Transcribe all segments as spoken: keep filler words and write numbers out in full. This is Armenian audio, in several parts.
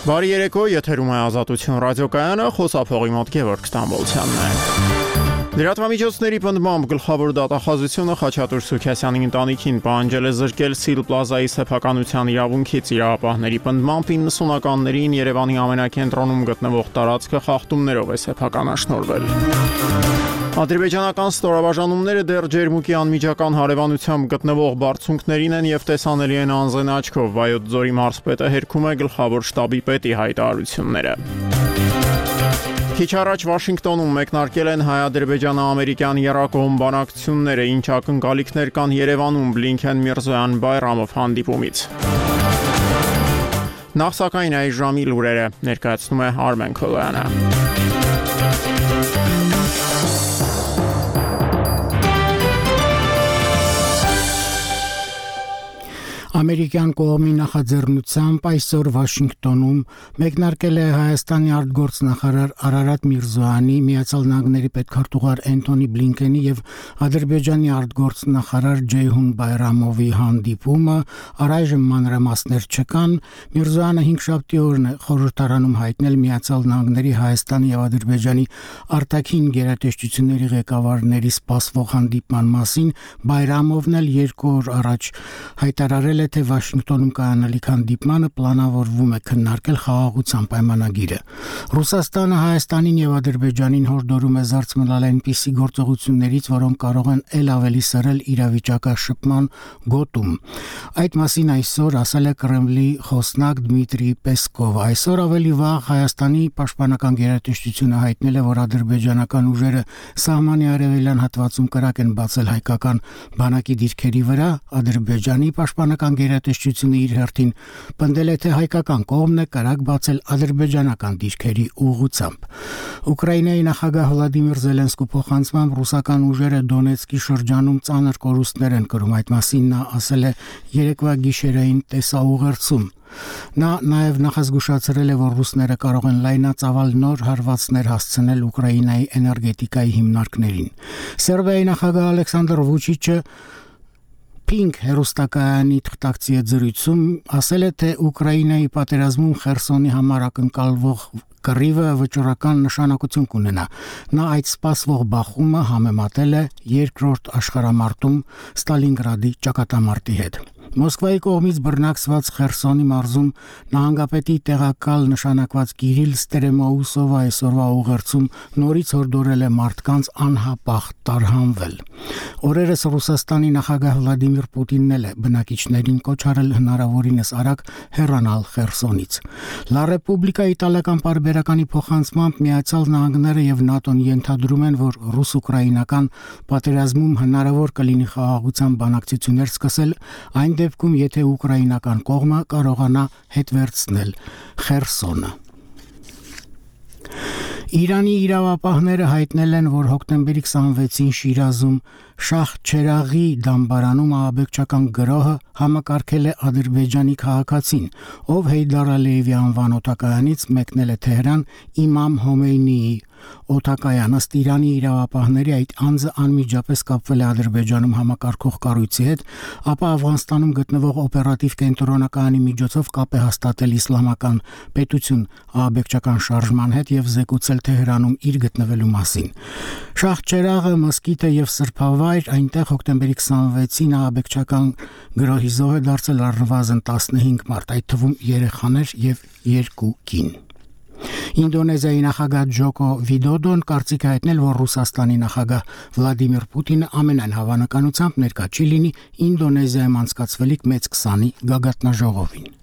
Բարի երեկո, եթերում է Ազատություն ռադիոկայանը, խոսափողի մոտ Գևորգ Ստամբոլցյանն է։ Լրատվամիջոցների պնդմամբ գլխավոր դատախազությունը Խաչատուր Սուքասյանի ընտանիքին պահանջել է զրկել Սիլ Պլազայի սեփականության իրավունքից։ Իրավապահների պնդմամբ իննսունականներին Երևանի ամենակենտրոնում գտնվող տարածքը խախտումներով է սեփականաշնորհվել։ Ադրբեջանական ստորաբաժանումները դեռ ջերմուկի անմիջական հարևանությամբ գտնվող բարձունքներին են եւ տեսանելի են անզեն աչքով։ Վայոց ձորի մարզպետը հերքում է գլխավոր շտաբի պետի հայտարարությունները։ Քիչ առաջ Վաշինգտոնում մեկնարկել են հայ-ադրբեջանա-ամերիկյան եռակողմ բանակցությունները, ինչ ակնկալիքներ կան Երևանում Բլինքեն Միրզոյան-Բայրամով հանդիպումից։ Նախ սակայն այս ժամի լուրերը ներկայացնում է Արմեն Քոլոյանը։ Ամերիկյան կողմի նախաձեռնությամբ այսօր Վաշինգտոնում մեկնարկել է Հայաստանի արտգործնախարար Արարատ Միրզոյանի, Միացյալ Նահանգների պետքարտուղար Էնթոնի Բլինքենի եւ Ադրբեջանի արտգործնախարար Ջեյհուն Բայրամովի հանդիպումը, առայժմ մանրամասներ չկան։ Միրզոյանը հինգշաբթի օրն է խորհրդարանում հայտնել Միացյալ Նահանգների, Հայաստանի եւ Ադրբեջանի արտաքին գերատեսչությունների ղեկավարների սպասվող հանդիպման մասին, Բայրամովն էլ երկու օր առաջ հայտարարել թե Վաշինգտոնում կայանալիք հանդիպմանը պլանավորվում է քննարկել խաղաղության պայմանագիրը։ Ռուսաստանը Հայաստանին եւ Ադրբեջանին հորդորում է զարթմնալ այնպիսի գործողություններից, որոնք կարող են ել ավելի սրել իրավիճակաշփման գոտում։ Այդ մասին այսօր ասել է Կրեմլի խոսնակ Դմիտրի Պեսկովը։ Այսօր ավելի վաղ Հայաստանի պաշտպանական գերատեսչությունը հայտնել է, որ ադրբեջանական ուժերը սահմանի արևելյան հատվածում կրակ են բացել հայկական բանակի դիրքերի վրա։ Ադրբեջանի պաշտպանական գերատեսչությունը իր հերթին պնդել է, թե հայկական կողմն է կրակ բացել ադրբեջանական դիրքերի ուղղությամբ։ Ուկրաինայի նախագահ Վլադիմիր Զելենսկու փոխանցմամբ ռուսական ուժերը Դոնեցկի շրջանում ծանր կորուստներ են կրում։ Այդ մասին նա ասել է երեկվա գիշերային տեսաուղերձում։ Նա նաև նախազգուշացրել է, որ ռուսները կարող են լայնածավալ նոր հարվածներ հասցնել Ուկրաինայի էներգետիկայի հիմնարկներին։ Սերբիայի նախագահ Ալեքսանդր Վուչիչը Pink հերոստակայանի թղթակցի հետ զրույցում ասել է, թե Ուկրաինայի պատերազմում Խերսոնի համար ակնկալվող կռիվը վճռական նշանակություն կունենա։ Նա այդ սպասվող բախումը համեմատել է երկրորդ աշխարհամարտում Ստալինգրադի ճակատամարտի հետ։ Մոսկվայի կողմից բռնակցված Խերսոնի մարզում նահանգապետի տեղակալ նշանակված Կիրիլ Ստերեմոուսովը այսօրվա ուղերձում նորից հորդորել է մարդկանց անհապաղ տարհանվել։ Օրերս Ռուսաստանի նախագահ Վլադիմիր Պուտինն էլ է բնակիչներին կոչ արել հնարավորինս արագ հեռանալ Խերսոնից։ Լա Ռեպուբլիկա իտալական պարբերականի փոխանցմամբ Միացյալ Նահանգները եւ ՆԱՏՕ-ն ենթադրում են, որ ռուս-ուկրաինական պատերազմում հնարավոր կլինի խաղաղության բանակցություններ սկսել այն դեպքում, եթե ուկրաինական կողմը կարողանա հետ վերցնել Խերսոնը։ Իրանի իրավապահները հայտնել են, որ հոկտեմբերի քսանվեցին Շիրազում Շահ Չերաղի դամբարանում ահաբեկչական գրոհը համակարգել է Ադրբեջանի քաղաքացին, ով Հեյդար Ալիևի անվան օդակայանից մեկնել է Թեհրան Իմամ Հոմեյնիի օդակայան։ Ըստ Իրանի իրավապահների այդ անձը անմիջապես կապվել է Ադրբեջանում համակարգող կառույցի հետ, ապա Աֆղանստանում գտնվող օպերատիվ կենտրոնակայանի միջոցով կապ է հաստատել իսլամական պետություն ահաբեկչական շարժման հետ եւ զեկուցել Թեհրանում իր գտնվելու մասին։ Շահ Չերաղը մսկիթը եւ սրբավայր, այնտեղ հոկտեմբերի քսանվեցին ահաբեկչական գրոհի զոհ է դարձել առնվազն տասնհինգ մարդ, այդ թվում երեխաներ եւ երկու կին։ Ինդոնեզիայի նախագահ Ջոկո Վիդոդոն կարծիք է հայտնել, որ Ռուսաստանի նախագահ Վլադիմիր Պուտինը ամենայն հավանականությամբ ներկա չի լինի Ինդոնեզիայում անցկացվելիք մեծ քսանի գագաթնաժողովին։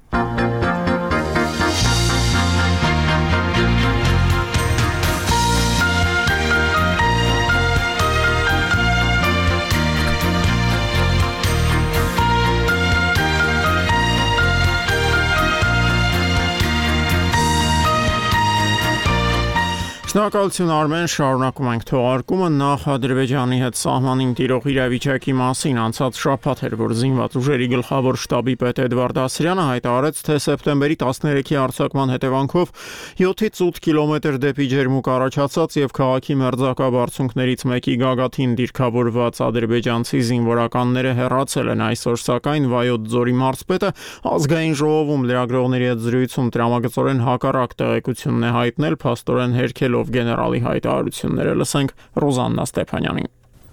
Շնորհակալություն Արմեն, շարունակում ենք թողարկումը նախ Ադրբեջանի հետ սահմանին տիրող իրավիճակի մասին անցած շաբաթ էր, որ զինված ուժերի գլխավոր շտաբի պետ Էդվարդ Ասրյանը հայտարարեց, թե սեպտեմբերի տասներեքի հարձակման հետևանքով յոթից ութ կիլոմետր դեպի ջերմուկ առաջացած եւ քաղաքի մերձակա բարձունքներից մեկի գագաթին դիրքավորված ադրբեջանցի զինվորականները հեռացել են այսօր, սակայն Վայոց ձորի մարզպետը ազգային ժողովում լրագրողների հետ զրույցում տրամագծորեն հակառակ տեղեկությունն է հայտնել, փաստորեն հերքելով գեներալի հայտարարությունները, լսենք Ռոզաննա Ստեփանյանին։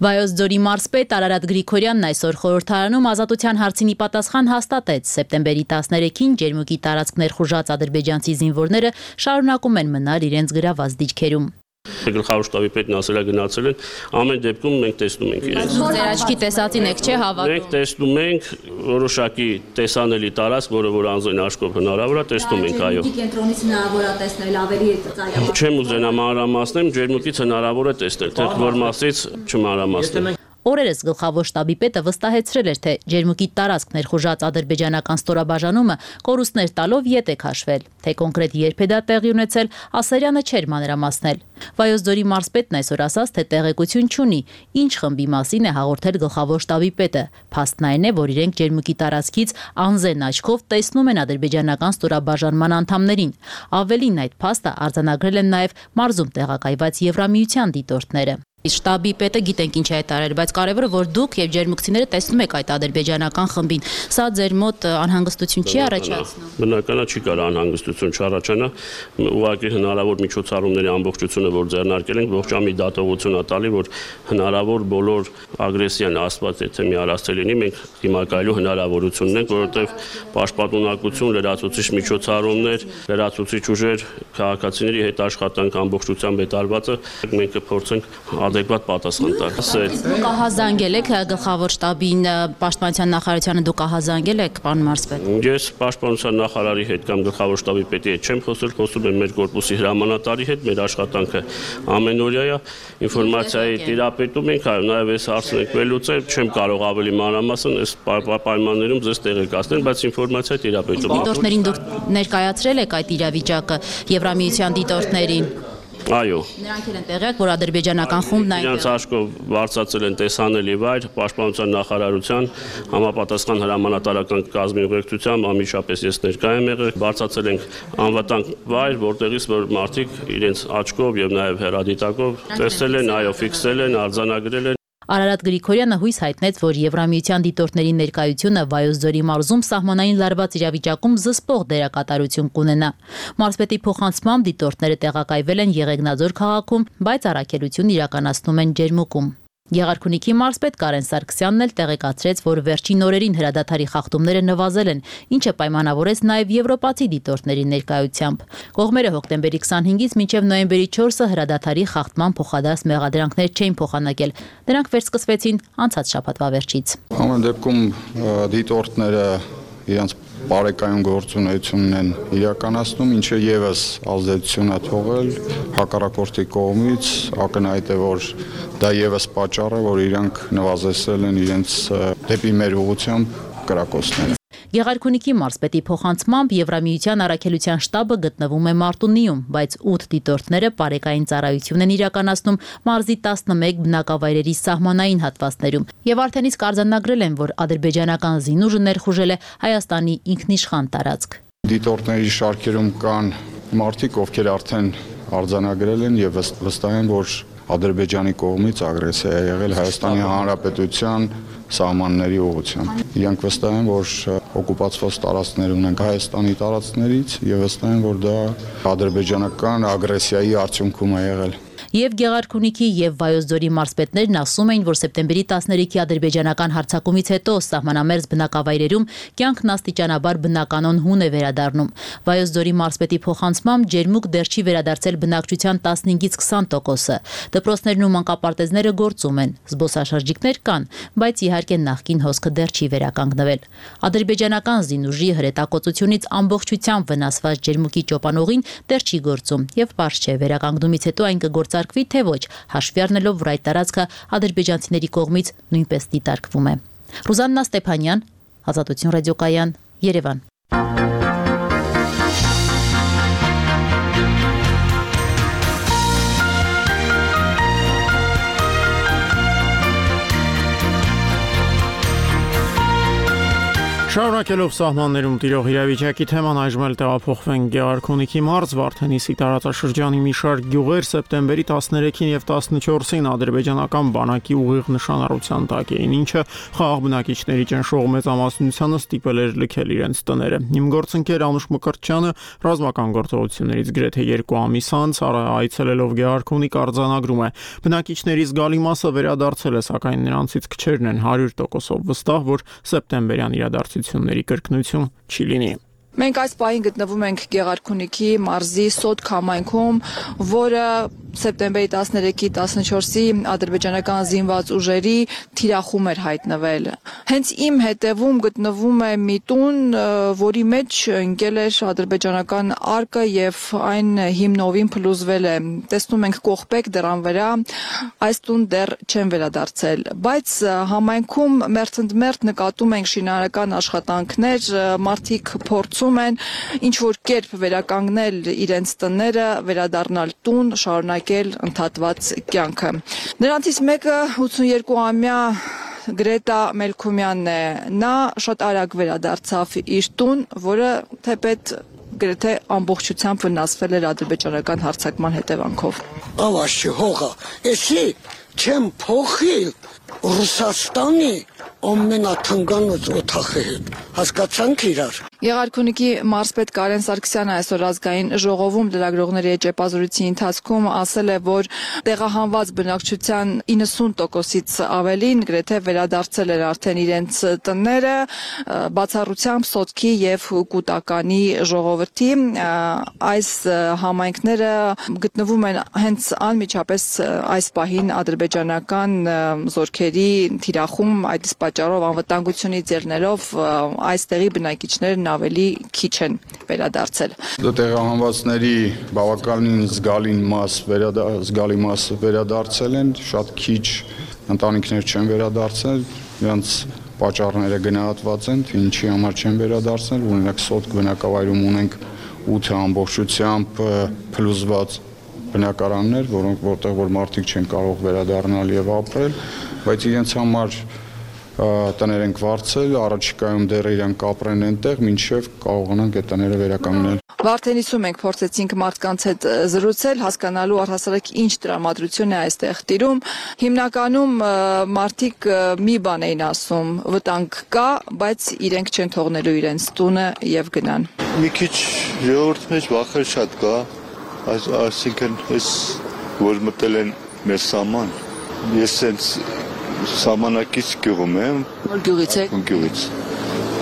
Վայոց ձորի մարզպետ Արարատ Գրիգորյանն այսօր խորհրդարանում ազատության հարցին ի պատասխան հաստատեց, սեպտեմբերի տասներեքին ջերմուկի տարածք ներխուժած ադրբեջանցի զինվորները շարունակում են մնալ իրենց գրաված դիրքերում։ Գլխավոր շտաբի պետն ասել է գնացել են, ամեն դեպքում մենք տեսնում ենք իրենց։ Ձեր աչքի տեսածին եք չէ հավատում։ Մենք տեսնում ենք որոշակի տեսանելի տարածք, որը որ անձին աչքով հնարավոր է, տեսնում ենք, այո։ Կենտրոնից հնարավոր է տեսնել ավելի ծայրամասն։ Չեմ ուզենա մանրամասնել, ջերմուկից հնարավոր է տեսնել, թե որ մասից չմանրամասնել։ Օրերս գլխավոր շտաբի պետը վստահեցրել էր, թե ջերմուկի տարածք ներխուժած ադրբեջանական ստորաբաժանումը կորուստներ տալով ետ է քաշվել, թե կոնկրետ երբ է դա տեղի ունեցել, Ասարյանը չէր մանրամասնել։ Վայոց ձորի մարզպետն այսօր ասաց, թե տեղեկություն չունի, ինչ խմբի մասին է հաղորդել գլխավոր շտաբի պետը։ Փաստն այն է, որ իրենք ջերմուկի տարածքից անզեն աչքով տեսնում են ադրբեջանական ստորաբաժանման անդամներին։ Ավելին, այդ փաստը արձանագրել են նաև մարզում տեղակայված Եվրամիության դիտորդները։ Շտաբի պետը գիտենք ինչ է հայտարարել, բայց կարևորը որ դուք եւ ջերմուկցիները տեսնում եք այդ ադրբեջանական խմբին, սա ձեր մոտ անհանգստություն չի առաջացնում։ Բնականա չի կարող անհանգստություն չառաջանա, ուղղակի հնարավոր միջոցառումների ամբողջությունը որ ձեռնարկել ենք, ողջամի դատողություն ա տալի, որ հնարավոր բոլոր ագրեսիան աստված եթե մի առասցել լինի, մենք դիմակայելու հնարավորություն ունենք, որովհետեւ պաշտպանունակություն, լրացուցիչ միջոցառումներ, լրացուցիչ ուժեր, քաղաքացիների հետ աշխատանք ամբողջությամբ հետարվածը մենք կփորձենք adekvat պատասխան տալ։ Դուք ահազանգել եք գլխավոր շտաբին, պաշտպանության նախարարությանը դուք ահազանգել եք, պարոն մարզպետ։ Ես պաշտպանության նախարարի հետ կամ գլխավոր շտաբի պետի հետ չեմ խոսել, խոսում եմ մեր կորպուսի հրամանատարի հետ, մեր աշխատանքը ամենօրյա է, ինֆորմացիայի տիրապետում ենք, այո, նաև այս հարցն եք վերլուծել, չեմ կարող ավելի մանրամասն այս պայմաններում ձեզ տեղեկացնել, բայց ինֆորմացիա տիրապետում։ Դիտորդներին դուք ներկայացրել եք այդ իրավիճակը Եվրամիության դիտորդներին։ Այո։ Նրանք են տեղյակ, որ ադրբեջանական խումբն այնտեղ։ Նրանց աչքով բարձրացել են տեսանելի վայր, պաշտպանության նախարարության համապատասխան հրամանատարական կազմի ուղեկցությամբ ամիջապես ես ներկայ եմ եղել, բարձրացել ենք անվտանգ վայր, որտեղից որ մարդիկ իրենց աչքով եւ նաեւ հեռադիտակով տեսել են, այո, ֆիքսել են, արձանագրել են։ Արարատ Գրիգորյանը հույս հայտնեց, որ Եվրամիության դիտորդների ներկայությունը Վայոց ձորի մարզում սահմանային լարված իրավիճակում զսպող դերակատարություն կունենա։ Մարզպետի փոխանցմամբ դիտորդները տեղակայվել են Եղեգնաձոր քաղաքում, բայց առաքելություն իրականացնում են Ջերմուկում։ Եղարքունիքի մարզպետ Կարեն Սարգսյանն էլ տեղեկացրեց, որ վերջին օրերին հրադադարի խախտումները նվազել են, ինչը պայմանավորեց նաև եվրոպացի դիտորդների ներկայությամբ։ Կողմերը հոկտեմբերի քսանհինգից մինչև նոյեմբերի չորսը հրադադարի խախտման փոխադարձ մեղադրանքներ չէին փոխանակել։ Դրանք վերսկսվեցին անցած շաբաթվա վերջից։ Ամեն դեպքում դիտորդները իրենց բարեկայուն գործունեությունն են իրականացնում, ինչը եւս ազդեցություն է թողել հակառակորդի կողմից, ակնհայտ է, որ դա եւս պատճառ է, որ իրանք նվազեցրել են իրենց դեպի մեր ուղղությամբ կրակոցները։ Եղարքունիքի մարզպետի փոխանցմամբ Եվրամիության առաքելության շտաբը գտնվում է Մարտունիում, բայց ութ դիտորդները բարեկային ծառայություն են իրականացնում մարզի տասնմեկ բնակավայրերի սահմանային հատվածներում եւ արդեն իսկ արձանագրել են, որ ադրբեջանական զինուժը ներխուժել է Հայաստանի ինքնիշխան տարածք։ Դիտորդների շարքերում կան մարդիկ, ովքեր արդեն արձանագրել են եւ վստահ են, որ Ադրբեջանի կողմից ագրեսիա է եղել Հայաստանի Հանրապետության սահմանների ուղղությամբ։ Իրանք վստահ են, որ օկուպացված տարածքներ ունենք Հայաստանի տարածքներից եւ վստահ են, որ դա ադրբեջանական ագրեսիայի արդյունքում է եղել։ Եվ Գեղարքունիքի եւ Վայոց ձորի մարզպետներն ասում էին, որ սեպտեմբերի տասներեքի ադրբեջանական հարձակումից հետո սահմանամերձ բնակավայրերում կյանքն աստիճանաբար բնականon հուն է վերադառնում։ Վայոց ձորի մարզպետի փոխանցմամբ Ջերմուկ դեռ չի վերադարձել բնակչության տասնհինգից քսան տոկոսը։ Դպրոցներն ու մանկապարտեզները գործում են, զբոսաշրջիկներ կան, բայց իհարկե նախկին հոսքը դեռ չի վերականգնվել։ Ադրբեջանական զինուժի հրետակոծությունից ամբողջությամբ վնասված Ջերմուկի ճոպանողին դեռ չի գործում եւ պարզ չէ վերականգնումից հետո այն կգործարկվի թե ոչ, հաշվի առնելով, որ այդ տարածքը ադրբեջանցիների կողմից նույնպես դիտարկվում է։ Ռուզաննա Ստեփանյան, Ազատություն ռադիոկայան, Երևան։ Շարունակելով սահմաններում տիրող իրավիճակի թեման այժմ էլ տեղափոխվենք Գեղարքունիքի մարզ Վարդենիսի տարածաշրջանի մի շարք գյուղեր սեպտեմբերի տասներեքին եւ տասնչորսին ադրբեջանական բանակի ուղիղ նշանառության տակ էին, ինչը խաղաղ բնակիչների ճնշող մեծամասնությանը ստիպել էր լքել իրենց տները։ Իմ գործընկեր Անուշ Մկրտչյանը ռազմական գործողություններից գրեթե երկու ամիս անց այցելելով Գեղարքունիք արձանագրում է. բնակիչների զգալի մասը վերադարձել է, սակայն նրանցից քչերն են հարյուր տոկոսով վստահ, որ սեպտեմբերյան իրադարձությունների կրկնություն չի լինի։ Մենք այս պահին գտնվում ենք Գեղարքունիքի մարզի Սոտ համայնքում, որը սեպտեմբերի տասներեքի տասնչորսի ադրբեջանական զինված ուժերի թիրախում էր հայտնվել։ Հենց իմ հետևում գտնվում է մի տուն, որի մեջ ընկել էր ադրբեջանական արկը եւ այն հիմնովին փլուզվել է։ Տեսնում ենք կողպեկ դռան վրա, այս տուն դեռ չեն վերադարձել, բայց համայնքում մերթընդմերթ նկատում ենք շինարարական աշխատանքներ, մարդիկ փորձում են ինչ որ կերպ վերականգնել իրենց տները, վերադառնալ տուն, շարունակել ընդհատված կյանքը։ Նրանցից մեկը ութսուներկուամյա Գրետա Մելքումյանն է։ Նա շատ արագ վերադարձավ իր տուն, որը թեպետ գրեթե ամբողջությամբ վնասվել էր ադրբեջանական հարձակման հետևանքով։ Ավաշի հողը, էսի չեմ փոխիլ Ռուսաստանի ամենաթնգանոց օթախի հետ, հասկացանք իրար։ Գեղարքունիքի մարզպետ Կարեն Սարգսյանը այսօր ազգային ժողովում լրագրողների հետ ճեպազրույցի ընթացքում ասել է, որ տեղահանված բնակչության իննսուն տոկոսից ավելին գրեթե վերադարձել էր արդեն իրենց տները, բացառությամբ Սոտքի եւ Կուտականի ժողովրդի։ Այս համայնքները գտնվում են հենց անմիջապես այս պահին ադրբեջանական զորքերի թիրախում, այդ իսկ պատճառով անվտանգությունից ելնելով այստեղի բնակիչներն ավելի քիչ են վերադարձել։ Տեղահանվածների բավականին զգալի մաս զգալի մասը վերադարձել են, շատ քիչ ընտանիքներ չեն վերադարձել, նրանց պատճառները գնահատված են, թե ինչի համար չեն վերադարձել, օրինակ Սոտք բնակավայրում ունենք ութ ամբողջությամբ փլուզված բնակարաններ, որոնք որտեղ որ մարդիկ չեն կարող վերադառնալ եւ ապրել, բայց իրենց համար տներ ենք վարձել, առաջիկայում դեռ իրանք ապրեն այնտեղ, մինչև կարողանանք այդ տները վերականգնել։ Վարդենիսում ենք փորձեցինք մարդկանց հետ զրուցել, հասկանալու առհասարակ ինչ տրամադրություն է այստեղ տիրում։ Հիմնականում մարդիկ մի բան էին ասում, վտանգ կա, բայց իրենք չեն թողնելու իրենց տունը եւ գնան։ Մի քիչ ժողովրդի մեջ վախեր շատ կա, այսինքն այս որ մտել են մեր սահման։ Ես sense սահմանակից գյուղում եմ։ Որ գյուղից եք։ Գյուղից։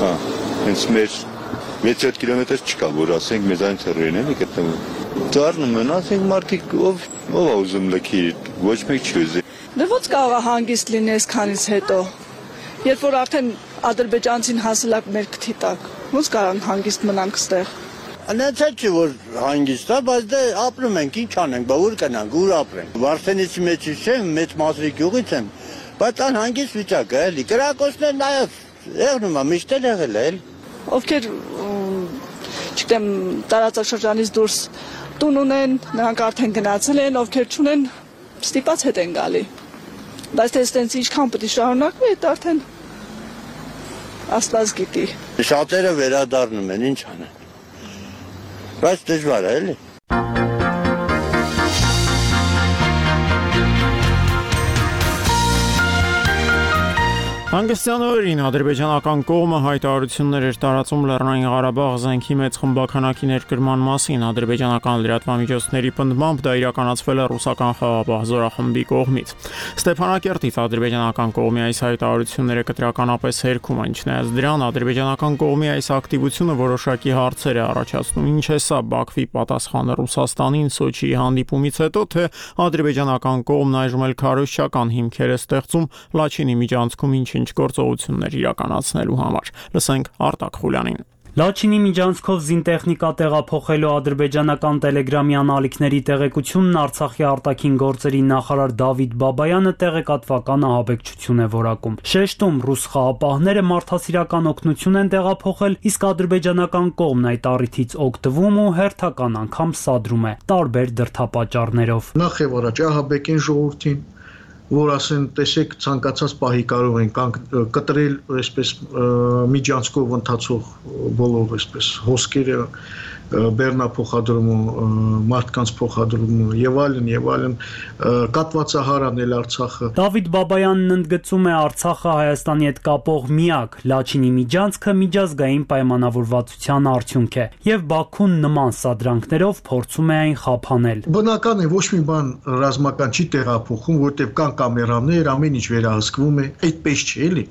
Հա, հենց մեր վեց-յոթ կիլոմետր չկա, որ ասենք մեզ այն թռին էլի գտնվում։ Դառնում են, ասենք մարդիկ ով ով է ուզում լքի, ոչ մեկ չի ուզի։ Դե ո՞նց կարող է հանգիստ լինի այսքանից հետո։ Երբ որ արդեն ադրբեջանցին հասել է մեր քթի տակ, ո՞նց կարող են հանգիստ մնանք ստեղ։ Անացած չի որ հանգիստ է, բայց դե ապրում ենք, ինչ անենք, բա ուր գնանք, ուր ապրենք։ Վարդենիսի մեջ չեմ, մեծ մազրի գյուղից եմ, բայց անհանգիստ վիճակ է, էլի։ Կրակոցներ նաև եղնում է, միշտ էլ եղել է, էլի։ Ովքեր, չգիտեմ, տարածաշրջանից դուրս տուն ունեն, նրանք արդեն գնացել են, ովքեր չունեն, ստիպած հետ են գալի։ Բայց թե այստենց ինչքան պետք է շարունակվի, դա արդեն Աստված գիտի։ Շատերը վերադառնում են, ինչ անեն։ Բայց դժվար է, էլի։ Հանգստյան օրերին ադրբեջանական կողմը հայտարարություններ էր տարածում Լեռնային Ղարաբաղ զենքի մեծ խմբականակի ներկրման մասին։ Ադրբեջանական լրատվամիջոցների պնդմամբ դա իրականացվել է ռուսական խաղաղապահ զորախմբի կողմից։ Ստեփանակերտից ադրբեջանական կողմի այս հայտարարությունները կտրականապես հերքում են, չնայած դրան ադրբեջանական կողմի այս ակտիվությունը որոշակի հարցեր է առաջացնում։ Ինչ է սա Բաքվի պատասխանը Ռուսաստանին Սոչիի հանդիպումից հետո, թե ադրբեջանական կողմն այժմ էլ քարոզչական հիմքեր է ստեղծում Լաչինի միջանցքում ինչ ինչ գործողություններ իրականացնելու համար։ Լսենք Արտակ Խուլյանին։ Լաչինի միջանցքով զինտեխնիկա տեղափոխելու ադրբեջանական տելեգրամի անալիքների տեղեկությունն Արցախի արտաքին գործերի նախարար Դավիթ Բաբայանը տեղեկատվական ահաբեկչություն է որակում։ Շեշտում ռուս խաղապահները մարդասիրական օգնություն են տեղափոխել, իսկ ադրբեջանական կողմն այդ առիթից օգտվում ու հերթական անգամ սադրում է տարբեր դրդապատճառներով։ Նախ եւ առաջ ահաբեկին ժողովրդին, որ ասեն, տեսեք, ցանկացած պահի կարող են կտրել այսպես միջանցքով ընթացող բոլոր այսպես հոսքերը, բեռնափոխադրումը, մարդկանց փոխադրումը եւ այլն եւ այլն, կատվածահարանել Արցախը։ Դավիթ Բաբայանն ընդգծում է Արցախը Հայաստանի հետ կապող միակ Լաչինի միջանցքը միջազգային պայմանավորվածության արդյունք է եւ Բաքուն նման սադրանքներով փորձում է այն խափանել։ Բնական է, ոչ մի բան ռազմական չի տեղափոխում, որտեղ կան կամերաներ, ամեն ինչ վերահսկվում է, այդպես չէ, էլի։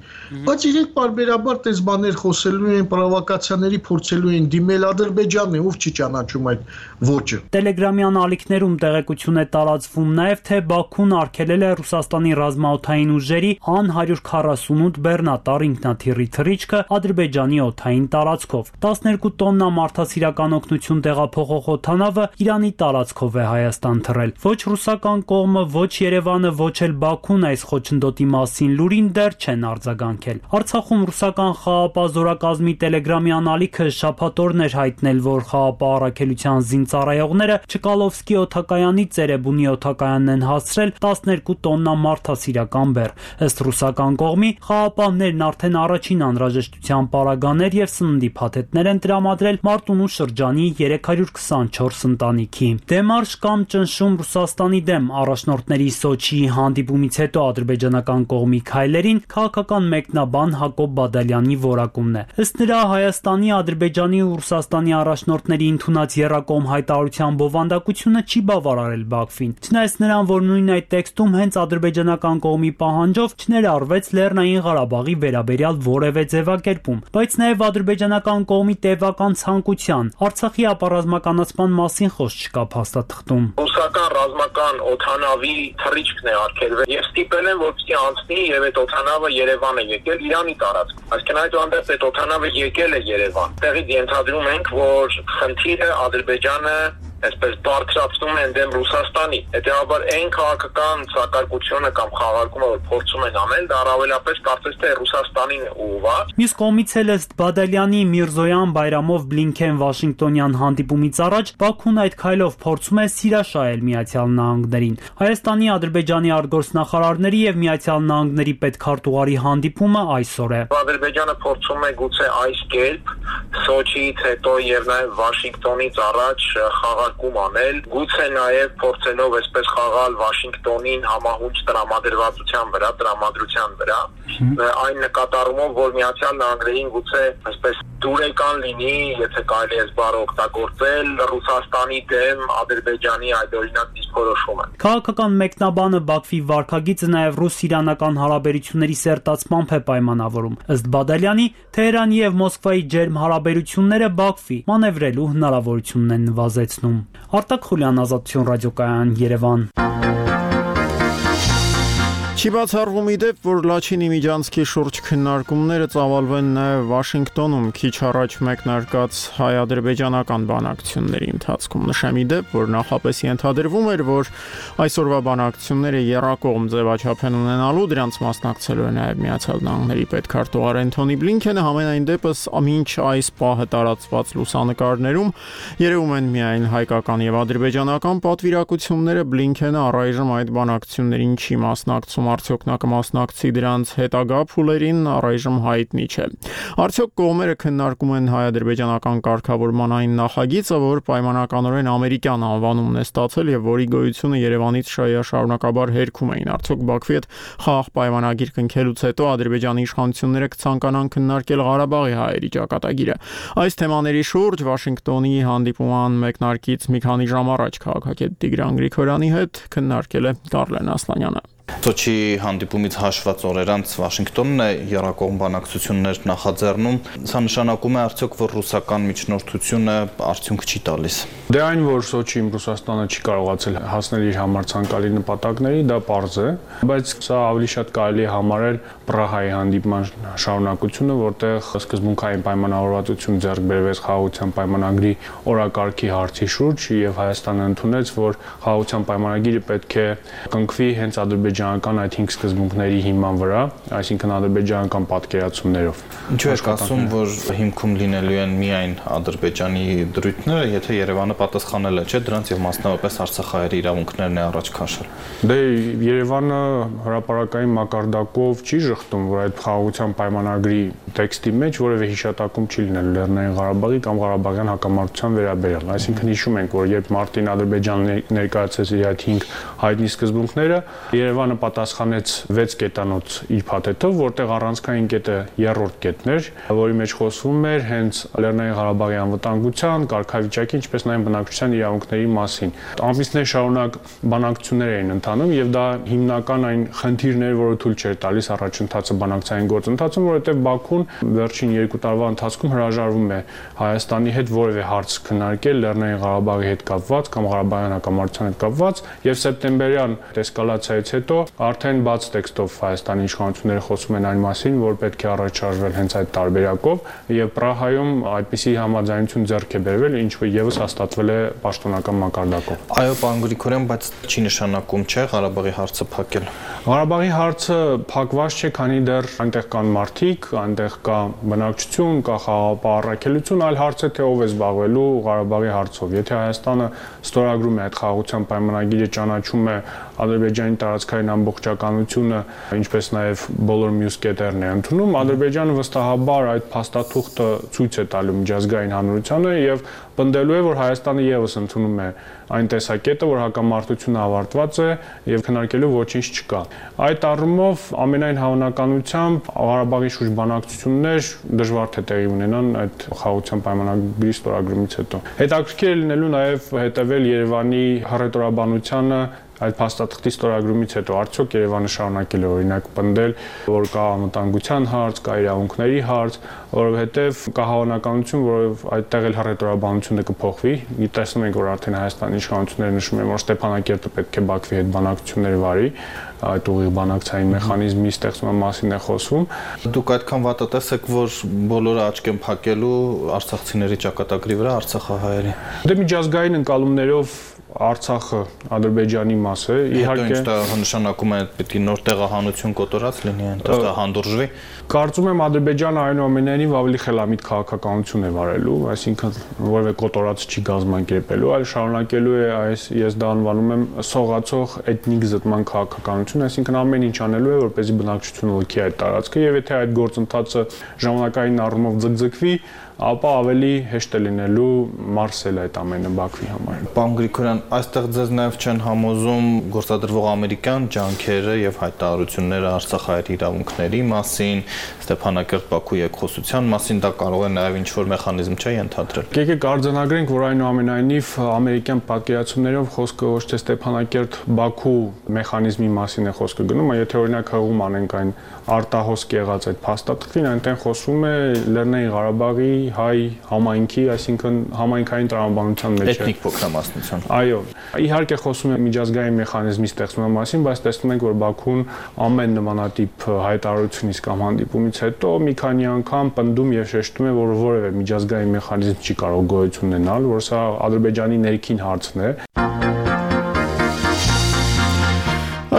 Բայց իրենք բարբերաբար տես բաներ խոսելու են, պրովոկացիաների փորձելու են դիմել Ադրբեջանն է, ով չի ճանաչում այդ ոճը։ Տելեգրամյան ալիքներում տեղեկություն է տարածվում նաեւ, թե Բաքուն արգելել է Ռուսաստանի ռազմաօդային ուժերի ան հարյուր քառասունութ բեռնատար ինքնաթիռի թռիչքը Ադրբեջանի օդային տարածքով։ տասներկու տոննա մարդասիրական օգնություն տեղափոխող օդանավը Իրանի տարածքով է Հայաստան թռել։ Ոչ ռուսական կողմը, ոչ Երևանը, ոչ էլ Բաքուն այս խոչընդոտի մասին լուրին դեռ չեն արձագանքել։ Արցախում ռուսական խաղապահ զորակազմի տելեգրամյան ալիքը շաբաթօրն էր հայտնել, որ խաղապահ առաքելության զինծառայողները Չկալովսկի օդակայանի Ծերեբունի օդակայանն են հասցրել տասներկու տոննա մարդասիրական բեռ։ Ըստ ռուսական կողմի, խաղապահներն արդեն առաջին անհրաժեշտության պարագաներ եւ սննդի փաթեթներ են տրամադրել Մարտունու շրջանի երեք հարյուր քսանչորս ընտանիքի։ Դեմարշ կամ ճնշում Ռուսաստանի դեմ առաջնորդների Սոչիի հանդիպումից հետո ադրբեջանական կողմի քայլերին քաղաքական մեկնաբան Հակոբ Բադալյանի որակումն է։ Ըստ նրա, Հայաստանի, Ադրբեջանի ու Ռուսաստանի առաջնորդների ընդունած եռակողմ հայտարարության բովանդակությունը չի բավարարել Բաքվին։ Չնայած նրան, որ նույն այդ տեքստում հենց ադրբեջանական կողմի պահանջով չներառվեց Լեռնային Ղարաբաղի վերաբերյալ որևէ ձևակերպում, բայց նաև ադրբեջանական կողմի տևական ցանկության Արցախի ապառազմականացման մասին խոսք չկա փաստաթղթում։ Ռուսական ռազմական օդանավի թռիչքն է արգելվել եւ ստիպել են, որպեսզի անցնի եւ այդ օդանավը Երևան է եկել Իրանի տարածք։ Այսինքն այդուհանդերձ այդ օդանավը եկել է Երևան։ Տեղից ենթադրում ենք, որ խնդիրը Ադրբեջանը այսպես բարձրացնում են դեմ Ռուսաստանի։ Հետևաբար այն քաղաքական սակարկությունը կամ խաղարկումը, որ փորձում են անել, դա առավելապես կարծես թե Ռուսաստանին է ուղղված։ Մյուս կողմից էլ ըստ Բադալյանի Միրզոյան Բայրամով Բլինքեն Վաշինգտոնյան հանդիպումից առաջ Բաքուն այդ քայլով փորձում է սիրաշահել Միացյալ Նահանգներին։ Հայաստանի, Ադրբեջանի արտգործնախարարների եւ Միացյալ Նահանգների պետքարտուղարի հանդիպումը այսօր է։ Ադրբեջանը փորձում է գուցե այս կերպ Սոչիից հետո եւ նաեւ Վաշինգտոնից առաջ խաղարկում անել, գուցե նաեւ փորձելով այսպես խաղալ Վաշինգտոնին համահունչ տրամադրվածության վրա, տրամադրության վրա, այն նկատառումով, որ Միացյալ Նահանգներին գուցե այսպես դուրեկան լինի, եթե կարելի է զբաղ օգտագործել Ռուսաստանի դեմ Ադրբեջանի այդօրինակ դիրքորոշումը։ Քաղաքական մեկնաբանը Բաքվի վարքագիծը նաեւ ռուս-իրանական հարաբերությունների սերտացմամբ է պայմանավորում։ Ըստ Բադալյանի, Թեհրանի եւ Մոսկվայի ջերմ հարաբերությունները Բաքվի մանևրելու հնարավորությունն են նվազեցնում։ Արտակ Խուլյան, Ազատություն ռադիոկայան, Երևան։ Չի բացառվում իդեպ, որ Լաչինի միջանցքի շուրջ քննարկումները ծավալվեն նաև Վաշինգտոնում քիչ առաջ մեկնարկած հայ-ադրբեջանական բանակցությունների ընթացքում։ Նշեմ իդեպ, որ նախապես ենթադրվում էր, որ այսօրվա բանակցությունները եռակողմ ձևաչափ են ունենալու, դրանց մասնակցելու է նաև Միացյալ Նահանգների պետքարտուղար Էնթոնի Բլինքենը, համենայն դեպս մինչ այս պահը տարածված լուսանկարներում երևում են միայն հայկական եւ ադրբեջանական պատվիրակությունները։ Բլինքենը առայժմ այդ բանակցություններին չի մասնակցում, արդյոք նա կմասնակցի դրանց հետագա փուլերին, առայժմ հայտնի չէ։ Արդյոք կողմերը քննարկում են հայ-ադրբեջանական կարգավորման այն նախագիծը, որ պայմանականորեն ամերիկյան անվանումն է ստացել եւ որի գոյությունը Երևանից շարունակաբար հերքում էին։ Արդյոք Բաքվի հետ խաղաղ պայմանագիր կնքելուց հետո Ադրբեջանի իշխանությունները կցանկանան քննարկել Ղարաբաղի հայերի ճակատագիրը։ Այս թեմաների շուրջ Վաշինգտոնի հանդիպման մեկնարկից մի քանի ժամ առաջ քաղաքագետ Տիգրան Գրիգորյանի հետ քննարկել է Կարլեն Ասլանյանը։ Սոչի հանդիպումից հաշված օրեր անց Վաշինգտոնն է եռակողմ բանակցություններ նախաձեռնում։ Սա նշանակում է արդյոք, որ ռուսական միջնորդությունը արդյունք չի տալիս։ Դե այն, որ Սոչիում Ռուսաստանը չի կարողացել հասնել իր համար ցանկալի նպատակների, դա պարզ է, բայց սա ավելի շատ կարելի է համարել Պրահայի հանդիպման շարունակությունը, որտեղ սկզբունքային պայմանավորվածություն ձեռք բերվեց խաղաղության պայմանագրի օրակարգի հարցի շուրջ, եւ Հայաստանը ընդունեց, որ խաղաղության պայմանագիրը պետք է կնքվի հենց Ադրբեջանի ադրբեջանական այդ հինգ սկզբունքների հիման վրա, այսինքն ադրբեջանական պատկերացումներով։ Ինչու եք ասում, որ հիմքում լինելու են միայն Ադրբեջանի դրույթները, եթե Երևանը պատասխանել է, չէ՞, դրանց եւ մասնավորապես Արցախահայերի իրավունքներն է առաջ քաշել։ Դե Երևանը հրապարակային մակարդակով չի շղթում, որ այդ խաղաղության պայմանագրի տեքստի մեջ որևէ հիշատակում չի լինել Լեռնային Ղարաբաղի կամ Ղարաբաղյան հակամարտության վերաբերյալ։ Այսինքն հիշում ենք, որ երբ մարտին Ադրբեջանը ներկայացրեց իր այդ հինգ հայտնի սկզբունքները, Երևանը պատասխանեց վեց կետանոց իր փաթեթով, որտեղ առանցքային կետը երրորդ կետն էր, որի մեջ խոսվում էր հենց Լեռնային Ղարաբաղի անվտանգության, կարգավիճակի, ինչպես նաև բնակչության իրավունքների մասին։ Ամիսներ շարունակ բանակցություններ էին ընթանում եւ դա հիմնական այն խնդիրն էր, որը թույլ չէր տալիս առաջընթացը բանակցային գործընթացում, որովհետեւ Բաքուն վերջին երկու տարվա ընթացքում հրաժարվում է Հայաստանի հետ որևէ հարց քննարկել Լեռնային Ղարաբաղի հետ կապված կամ Ղարաբաղյան հակամարտության հետ կապված եւ սեպտեմբերյան էսկալացիայից հետո արդեն բաց տեքստով Հայաստանի իշխանությունները խոսում են այն մասին, որ պետք է առաջարժվել հենց այդ տարբերակով եւ Պրահայում այդպիսի համաձայնություն ձեռք է բերվել, ինչը եւս հաստատվել է պաշտոնական մակարդակով։ Այո, պարոն Գրիգորյան, բայց չի նշանակում, չէ, Ղարաբաղի հարցը փակել։ Ղարաբաղի հարցը փակված չէ, քանի դեռ այնտեղ կան մարդիկ, այնտեղ կա բնակչություն, կա խաղաղապահ առաքելություն, այլ հարց է թե ով է զբաղվելու Ղարաբաղի հարցով։ Եթե Հայաստանը ստորագրում է այդ խաղաղության պայմանագիրը, ճանաչում է Ադրբեջանի տարածքային ամբողջականությունը, ինչպես նաև բոլոր մյուս կետերն է ընդունում, Ադրբեջանը վստահաբար այդ փաստաթուղթը ցույց է տալու միջազգային հանրությանը եւ պնդելու է, որ Հայաստանը եւս ընդունում է այն տեսակետը, որ հակամարտությունը ավարտված է եւ քննարկելու ոչինչ չկա։ Այդ առումով ամենայն հավանականությամբ Ղարաբաղի շուրջ բանակցություններ դժվար թե տեղի ունենան այդ խաղաղության պայմանագրի ստորագրումից հետո։ Հետաքրքիր է լինելու նաեւ հետեւել Երևանի հռետորաբանությանը այդ փաստաթղթի ստորագրումից հետո արդյոք Երևանը շարունակել է օրինակ պնդել, որ կա անվտանգության հարց, կա իրավունքների հարց, որովհետև կա հավանականություն, որ այդտեղ էլ հռետորաբանությունը կփոխվի։ Տեսնում ենք, որ արդեն Հայաստանի իշխանությունները նշում են, որ Ստեփանակերտը պետք է Բաքվի հետ բանակցություններ վարի, այդ ուղիղ բանակցային մեխանիզմի ստեղծման մասին է խոսվում։ Դուք այդքան վատատես եք, որ բոլորը աչք են փակելու արցախցիների ճակատագրի վրա արցախահայերի։ Դե միջազգային ընկալումներով Արցախը Ադրբեջանի մաս է, իհարկե դա նշանակում է պետք է նոր տեղահանություն կոտորած լինի, այնտեղ դա հանդուրժվի։ Կարծում եմ Ադրբեջանը այնուամենայնիվ ավելի խելամիտ քաղաքականություն է վարելու, այսինքն որևէ կոտորած չի գազམ-անկերպելու, այլ շարունակելու է այս, ես դա անվանում եմ սողացող էթնիկ զտման քաղաքականություն, այսինքն ամեն ինչ անելու է, որպեսզի բնակչությունը լքի այդ տարածքը, եւ եթե այդ գործընթացը ժամանակային առումով ձգձգվի, ապա ավելի հեշտ է լինելու մարսել այդ ամենը Բաքվի համար։ Պարոն Գրիգորյան, այստեղ ձեզ նաև չեն համոզում գործադրվող ամերիկյան ջանքերը եւ հայտարարությունները արցախահայերի իրավունքների մասին, Ստեփանակերտ-Բաքու երկխոսության մասին, դա կարող է նաև ինչ-որ մեխանիզմ չէ ենթադրել։ Եկեք արձանագրենք, որ այնուամենայնիվ ամերիկյան պատկերացումներով խոսքը ոչ թե Ստեփանակերտ-Բաքու մեխանիզմի մասին է խոսքը գնում, այլ եթե օրինակ հղում անենք այն արտահոսք եղած այդ փաստաթղթին, այնտեղ խոսվում է Լեռնային Ղարաբաղի հայ համայնքի, այսինքն համայնքային տրամաբանության մեջ է։ Էթնիկ փոքրամասնություն։ Այո, իհարկե խոսում է միջազգային մեխանիզմի ստեղծման մասին, բայց տեսնում ենք, որ Բաքուն ամեն նմանատիպ հայտարարությունից կամ հանդիպումից հետո մի քանի անգամ պնդում եւ շեշտում է, որ որևէ միջազգային մեխանիզմ չի կարող գոյություն ունենալ, որ սա Ադրբեջանի ներքին հարցն է։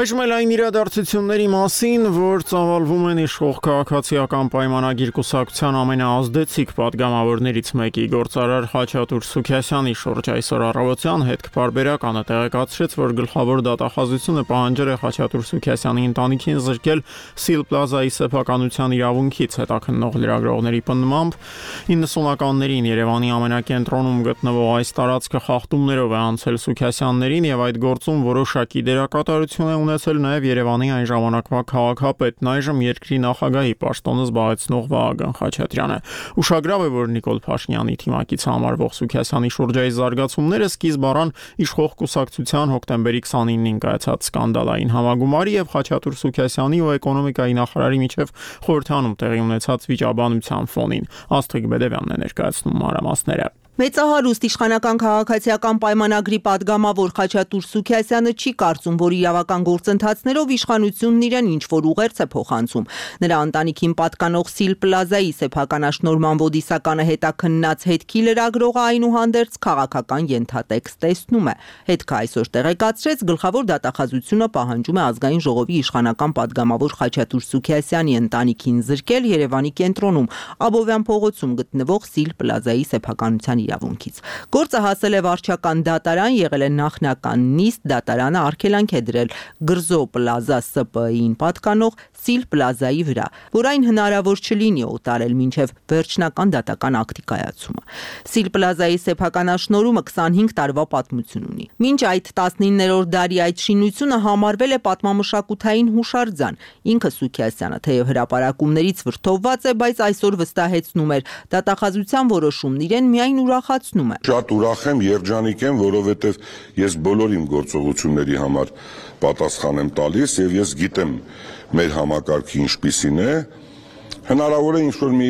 Այժմ էլ այն իրադարձությունների մասին, որ ծավալվում են իշխող քաղաքացիական պայմանագիր կուսակցության ամենաազդեցիկ պատգամավորներից մեկի գործարար Խաչատուր Սուքիասյանի շուրջ այսօր առավոտյան հետքպարբերականը տեղեկացրեց, որ գլխավոր դատախազությունը պահանջել է Խաչատուր Սուքիասյանի ընտանիքին զրկել Սիլ Պլազայի սեփականության իրավունքից, հետաքննող լրագրողների պնդմամբ իննսունականներին Երևանի ամենակենտրոնում գտնվող այս տարածքը խախտումներով է անցել Սուքիասյաններին եւ այդ գործում որոշակի դերակատարություն է ունեցել նաև Երևանի այն ժամանակվա քաղաքապետն, այժմ երկրի նախագահի պաշտոնը զբաղեցնող Վահագն Խաչատրյանը։ Ուշագրավ է, որ Նիկոլ Փաշինյանի թիմակից համարվող Սուքիասյանի շուրջային զարգացումները սկիզբ առան իշխող կուսակցության հոկտեմբերի քսանինին կայացած սկանդալային համագումարի եւ Խաչատուր Սուքիասյանի ու էկոնոմիկայի նախարարի միջև խորհրդանում տեղի ունեցած վիճաբանության ֆոնին։ Աստղիկ Բեդևյանն է ներկայացնում մանրամասները։ Մեծահարուստ իշխանական քաղաքացիական պայմանագրի պատգամավոր Խաչատուր Սուքիասյանը չի կարծում, որ իրավական գործընթացներով իշխանությունն իրեն ինչ-որ ուղերձ է փոխանցում։ Նրա ընտանիքին պատկանող Սիլ Պլազայի սեփականաշնորհման ոդիսականը հետաքննած հետքի լրագրողը այնուհանդերձ քաղաքական ենթատեքստ տեսնում է։ Հետքը այսօր տեղեկացրեց, գլխավոր դատախազությունը պահանջում է ազգային ժողովի իշխանական պատգամավոր Խաչատուր Սուքիասյանի ընտանիքին զրկել Երևանի կենտրոնում Աբովյան փողոցում գտնվող Սիլ Պլազայի սեփականության իրավունքից։ Գործը հասել է վարչական դատարան, եղել է նախնական նիստ, դատարանը արգելանք է դրել Գրզո Պլազա Ս Պ Ի-ին պատկանող Սիլ Պլազայի վրա, որ այն հնարավոր չլինի օտարել մինչև վերջնական դատական ակտի կայացումը։ Սիլ Պլազայի սեփականաշնորհումը քսանհինգ տարվա պատմություն ունի։ Մինչ այդ տասնիններորդ դարի այդ շինությունը համարվել է պատմամշակութային հուշարձան։ Ինքը Սուքիասյանը թեև հրապարակումներից վրդովված է, բայց այսօր վստահեցնում էր դատախազության որոշումն իրեն միայն ուրախացնում է։ Շատ ուրախ եմ, երջանիկ եմ, որովհետև ես բոլոր իմ գործողությունների համար պատասխան եմ տալիս եւ ես գիտեմ մեր համակարգը ինչպիսին է, հնարավոր է ինչ-որ մի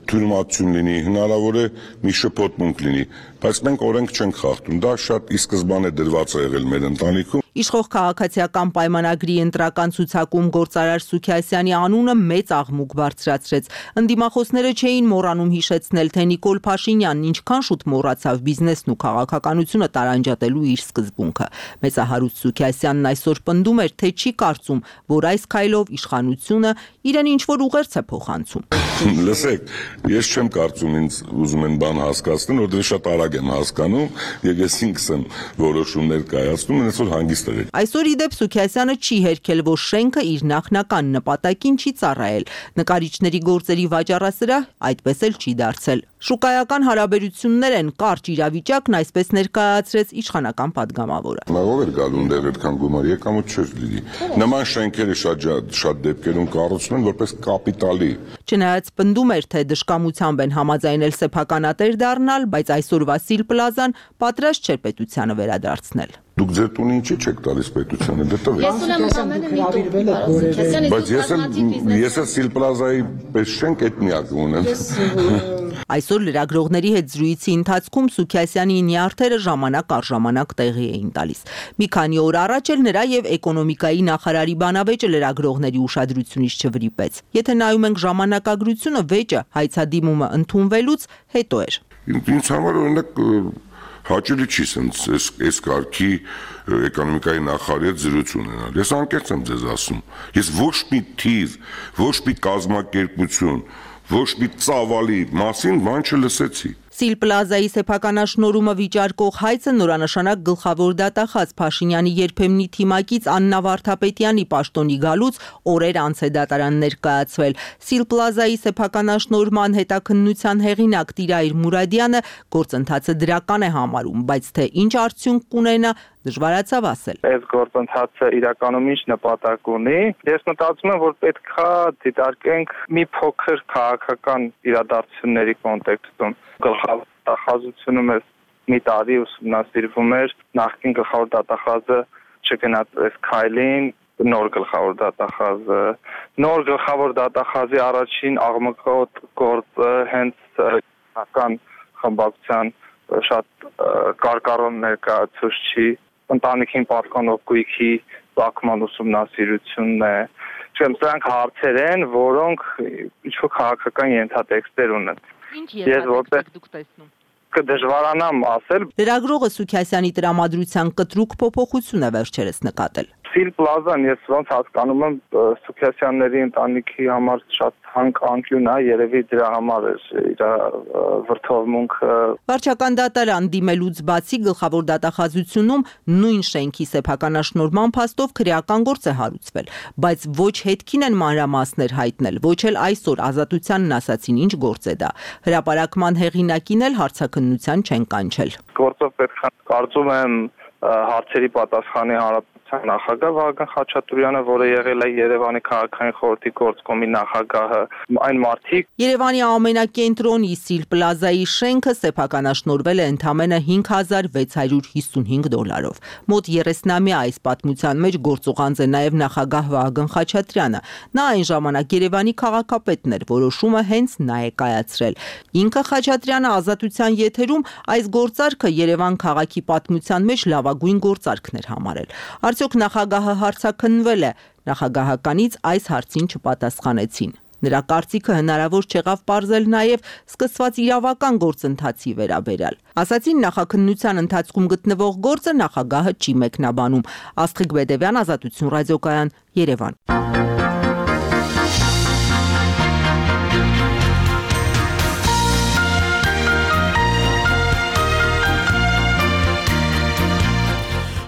թյուրիմացություն լինի, հնարավոր է մի շփոթմունք լինի, բայց մենք օրենք չենք խախտում, դա շատ ի սկզբանե դրված է եղել մեր ընտանիքում։ Իշխող քաղաքացիական պայմանագրի ընտրական ցուցակում գործարար Սուքիասյանի անունը մեծ աղմուկ բարձրացրեց։ Ընդդիմախոսները չէին մոռանում հիշեցնել, թե Նիկոլ Փաշինյանն ինչքան շուտ մոռացավ բիզնեսն ու քաղաքականությունը տարանջատելու իր սկզբունքը։ Մեծահարուստ Սուքիասյանն այսօր պնդում էր, թե չի կարծում, որ այս քայլով իշխանությունը իրեն ինչ-որ ուղերձ է փոխանցում։ Լսեք, ես չեմ կարծում ինձ ուզում են բան հասկացնել, որովհետև շատ արագ եմ հասկանում եւ ես ինքս եմ որոշումներ կայացնում, այսօր հանգիստ եղեք։ Այսօր ի դեպ Սուքիասյանը չի հերքել, որ շենքը իր նախնական նպատակին չի ծառայել։ Նկարիչների գործերի վաճառասրահ այդպես էլ չի դարձել։ Շուկայական հարաբերություններ են կարճ իրավիճակն, այսպես ներկայացրեց իշխանական պատգամավորը։ Ով էր գալու այնտեղ այդքան գումար, եկամուտ չէր լինի։ Նման շենքերը շատ շատ դեպքերում կառուցվում են որպես կապիտալի։ Չնայած պնդում էր, թե դժկամությամբ են համաձայնել սեփականատեր դառնալ, բայց այսօրվա Սիլ Պլազան պատրաստ չէր պետությանը վերադարձնել։ Դուք ձեր տունը ինչի՞ չեք տալիս պետությանը, դե տվեք։ Ես ունեմ ամենը մի տուն։ Բայց ես ես Սիլ Պլազայի պես շենք այդ միակը ունեմ։ Այսօր լրագրողների հետ զրույցի ընթացքում Սուքիասյանի նյարդերը ժամանակ առ ժամանակ տեղի էին տալիս։ Մի քանի օր առաջ էլ նրա եւ էկոնոմիկայի նախարարի բանավեճը լրագրողների ուշադրությունից չվրիպեց։ Եթե նայում ենք ժամանակագրությունը, վեճը հայցադիմումը ընդունվելուց հետո էր։ Ինձ համար օրինակ հաճելի չի սենց այս այս կարգի էկոնոմիկայի նախարարի հետ զրույց ունենալ։ Ես անկեղծ եմ ձեզ ասում։ Ես ոչ մի թիվ, ոչ մի կազմակերպություն, ոչ մի ծավալի մասին բան չլսեցի։ Սիլ Պլազայի սեփականաշնորհումը վիճարկող հայցը նորանշանակ գլխավոր դատախազ Փաշինյանի երբեմնի թիմակից Աննա Վարդապետյանի պաշտոնի գալուց օրեր անց է դատարան ներկայացվել։ Սիլ Պլազայի սեփականաշնորհման հետաքննության հեղինակ Տիրայր Մուրադյանը գործընթացը դրական է համարում, բայց թե ինչ արդյունք կունենա, դժվարացավ ասել։ Այս գործընթացը իրականում ինչ նպատակ ունի։ Ես մտածում եմ, որ պետքա դիտարկենք մի փոքր քաղաքական իրադարձությունների կոնտեքստում։ Գլխավոր դատախազությունը մեզ մի տարի ուսումնասիրվում էր, նախկին գլխավոր դատախազը չգնաց այս քայլին, նոր գլխավոր դատախազը, նոր գլխավոր դատախազի առաջին աղմկոտ գործը հենց քաղաքական խմբակցության շատ կարկառոն ներկայացուցիչ ընտանիքին պատկանող գույքի ծագման ուսումնասիրությունն է։ Չեմ, սրանք հարցեր են, որոնք ինչ-որ քաղաքական ենթատեքստեր ունեն։ Ինչ ենթատեքստ դուք տեսնում։ Կդժվարանամ ասել։ Լրագրողը Սուքիասյանի տրամադրության կտրուկ փոփոխություն է վերջերս նկատել։ Սիլ Պլազան ես ոնց հասկանում եմ Սուքիասյանների ընտանիքի համար շատ հանք անկյուն է, երևի դրա համար է իր վրթովմունքը։ Վարչական դատարան դիմելուց բացի գլխավոր դատախազությունում նույն շենքի սեփականաշնորհման փաստով քրեական գործ է հարուցվել, բայց ոչ հետքին են մանրամասներ հայտնել, ոչ էլ այսօր ազատությանն ասացին ինչ գործ է դա։ Հրապարակման հեղինակին էլ հարցաքննության չեն կանչել։ Գործով պետք է կարծում եմ հարցերի պատասխանի հանրապետության հանրապետության նախագահ Վահագն Խաչատուրյանը, որը եղել է Երևանի քաղաքային խորհրդի գործկոմի նախագահը, այն մարդիկ։ Երևանի ամենակենտրոնի Սիլ Պլազայի շենքը սեփականաշնորհվել է ընդամենը հինգ հազար վեց հարյուր հիսունհինգ դոլարով։ Մոտ երեսնամյա այս պատմության մեջ գործուղանձ է նաև նախագահ Վահագն Խաչատրյանը։ Նա այն ժամանակ Երևանի քաղաքապետն էր, որոշումը հենց նա է կայացրել։ Ինքը Խաչատրյանը ազատության եթերում այս գործարքը Երևան քաղաքի պատմության մեջ լավագույն գործարքն էր համարել։ Արդյոք նախագահը հարցաքննվել է, նախագահականից այս հարցին չպատասխանեցին։ Նրա կարծիքը հնարավոր չեղավ պարզել նաև սկսված իրավական գործընթացի վերաբերյալ։ Ասացին նախաքննության ընթացքում գտնվող գործը նախագահը չի մեկնաբանում։ Աստղիկ Բեդևյան, Ազատություն ռադիոկայան, Երևան։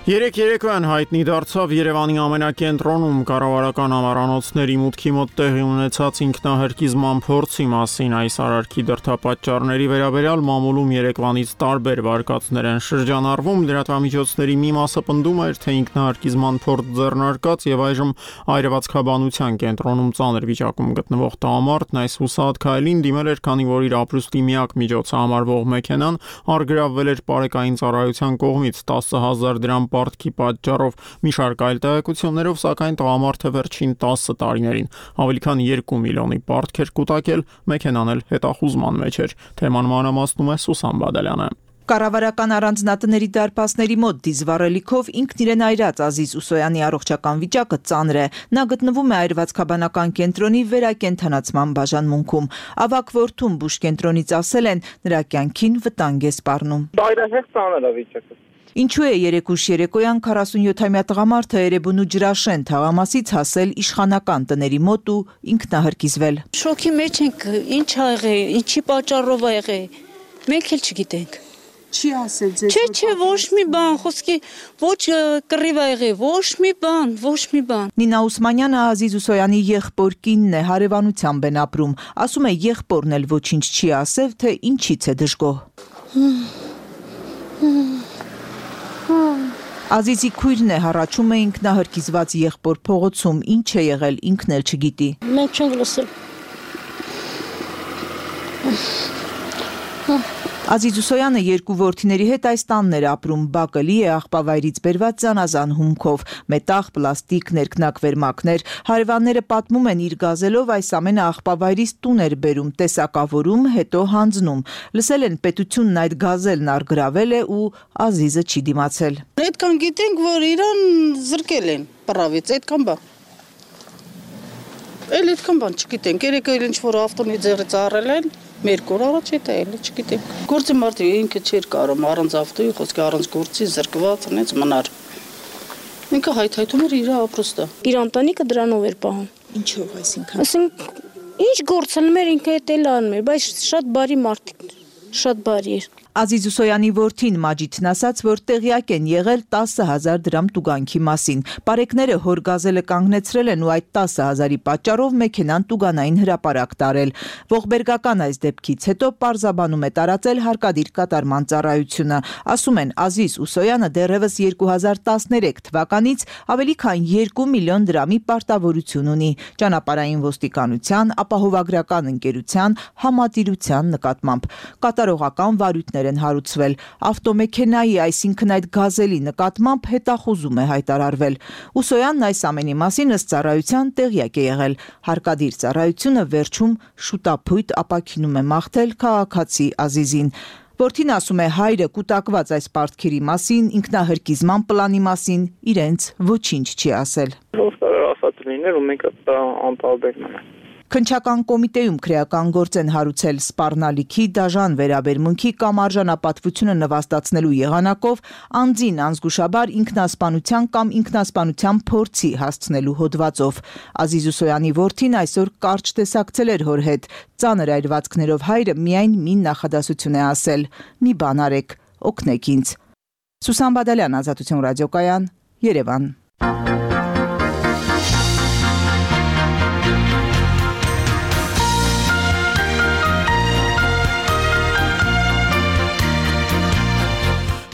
Երեք երեկոյան հայտնի դարձավ Երևանի ամենակենտրոնում կառավարական ամառանոցների մուտքի մոտ տեղի ունեցած ինքնահարկիզման փորձի մասին այս արարքի դրդապատճառների վերաբերյալ մամուլում երեկվանից տարբեր վարկածներ են շրջանառվում, լրատվամիջոցների մի մասը պնդում էր, թե ինքնահարկիզման փորձ ձեռնարկած եւ այժմ այրվածքաբանության կենտրոնում ծանր վիճակում գտնվող տղամարդն այս հուսահատ քայլին դիմել էր, քանի որ իր ապրուստի միակ միջոցը համարվող մեքենան առգրավվել էր պարեկային ծառայության կողմից տասը հազար դրամ պարտքի պատճառով։ Մի շարք այլ տեղեկություններով, սակայն տղամարդը վերջին տասը տարիներին ավելի քան երկու միլիոնի պարտք էր կուտակել, մեքենան էլ հետախուզման մեջ էր։ Թեման մանրամասնում է Սուսան Բադալյանը։ Կառավարական առանձնատների դարպասների մոտ դիզվառելիքով ինքն իրեն այրած Ազիզ Ուսոյանի առողջական վիճակը ծանր է։ Նա գտնվում է այրվածքաբանական կենտրոնի վերակենդանացման բաժանմունքում։ Ավագ որդուն բուժ կենտրոնից ասել են, նրա կյանքին վտանգ է սպառնում։ Այրահեղ ծանր է վիճակը։ Ինչու է երեկուշ երեկոյան քառասունյոթամյա տղամարդը Էրեբունու Ջրաշեն թաղամասից հասել իշխանական տների մոտ ու ինքնահարկիզվել։ Շոկի մեջ ենք, ինչ ա եղել, ինչի պատճառով ա եղել, մենք էլ չգիտենք։ Չի ասել ձեզ։ Չէ, չէ, ոչ մի բան, խոսքի ոչ կռիվ ա եղել, ոչ մի բան, ոչ մի բան։ Նինա Ուսմանյանը Ազիզ Ուսոյանի եղբոր կինն է, հարևանությամբ են ապրում։ Ասում է, եղբորն էլ ոչինչ չի ասել, թե ինչից է դժգոհ։ Ազիզի քույրն է, հառաչում է ինքնահարկիզված եղբոր փողոցում, ինչ է եղել, ինքն էլ չգիտի։ Մենք չենք լսել։ Ազիզ Ուսոյանը երկու որդիների հետ այս տանն էր ապրում, բակելի է աղբավայրից բերված զանազան հումքով, մետաղ, պլաստիկ, ներքնակվերմակներ, հարևանները պատմում են իր գազելով այս ամենը աղբավայրից տուն էր բերում, տեսակավորում, հետո հանձնում։ Լսել են պետությունն այդ գազելն առգրավել է ու Ազիզը չի դիմացել։ Այդքան գիտենք, որ իրան զրկել են պրավից, այդքան բան։ Էլ այդքան բան չգիտենք, երեկը ինչ որ ավտոնի ձեռից առել են, մեր կոր առաջ է դա էլ չգիտենք։ Գործի մարդը ինքը չէր կարող առանց ավտոյի, խոսքի առանց գործի զրկված, այնց մնար։ Ինքը հայթայթում էր իր ապրուստը։ Իր ընտանիքը դրանով էր պահում։ Ինչով, այսինքն։ Այսինքն ինչ գործանում էր ինքը էլ էլ անում էր, բայց շատ բարի մարդիկ, շատ բարի էր։ Ազիզ Ուսոյանի որդին Մաջիդն ասաց, որ տեղյակ են եղել տասը հազար դրամ տուգանքի մասին։ Պարեկները հոր գազելը կանգնեցրել են ու այդ տասը հազարի պատճառով մեքենան տուգանային հրապարակ տարել։ Ողբերգական այս դեպքից հետո պարզաբանում է տարածել հարկադիր կատարման ծառայությունը։ Ասում են, Ազիզ Ուսոյանը դեռևս երկու հազար տասներեք թվականից ավելի քան երկու միլիոն դրամի պարտավորություն ունի ճանապարհային ոստիկանության, ապահովագրական ընկերության, համատիրության նկատմամբ։ Կատարողական վարույթներ են հարուցվել։ Ավտոմեքենայի, այսինքն այդ գազելի նկատմամբ հետախուզում է հայտարարվել։ Ուսոյանն այս ամենի մասին ըստ ծառայության տեղյակ է եղել։ Հարկադիր ծառայությունը վերջում շուտափույթ ապաքինում է մաղթել քաղաքացի Ազիզին։ Որդին ասում է, հայրը կուտակված այս պարտքերի մասին, ինքնահարկիզման պլանի մասին իրենց ոչինչ չի ասել։ Ով կարող ասած լիներ ու մենք անտարբեր մնանք։ Քննչական կոմիտեում քրեական գործ են հարուցել սպառնալիքի, դաժան վերաբերմունքի կամ արժանապատվությունը նվաստացնելու եղանակով անձին անզգուշաբար ինքնասպանության կամ ինքնասպանության փորձի հասցնելու հոդվածով։ Ազիզ Ուսոյանի որդին այսօր կարճ տեսակցել էր հոր հետ։ Ծանր այրվածքներով հայրը միայն մի նախադասություն է ասել՝ մի բան արեք, օգնեք ինձ։ Սուսան Բադալյան, Ազատություն ռադիոկայան, Երևան։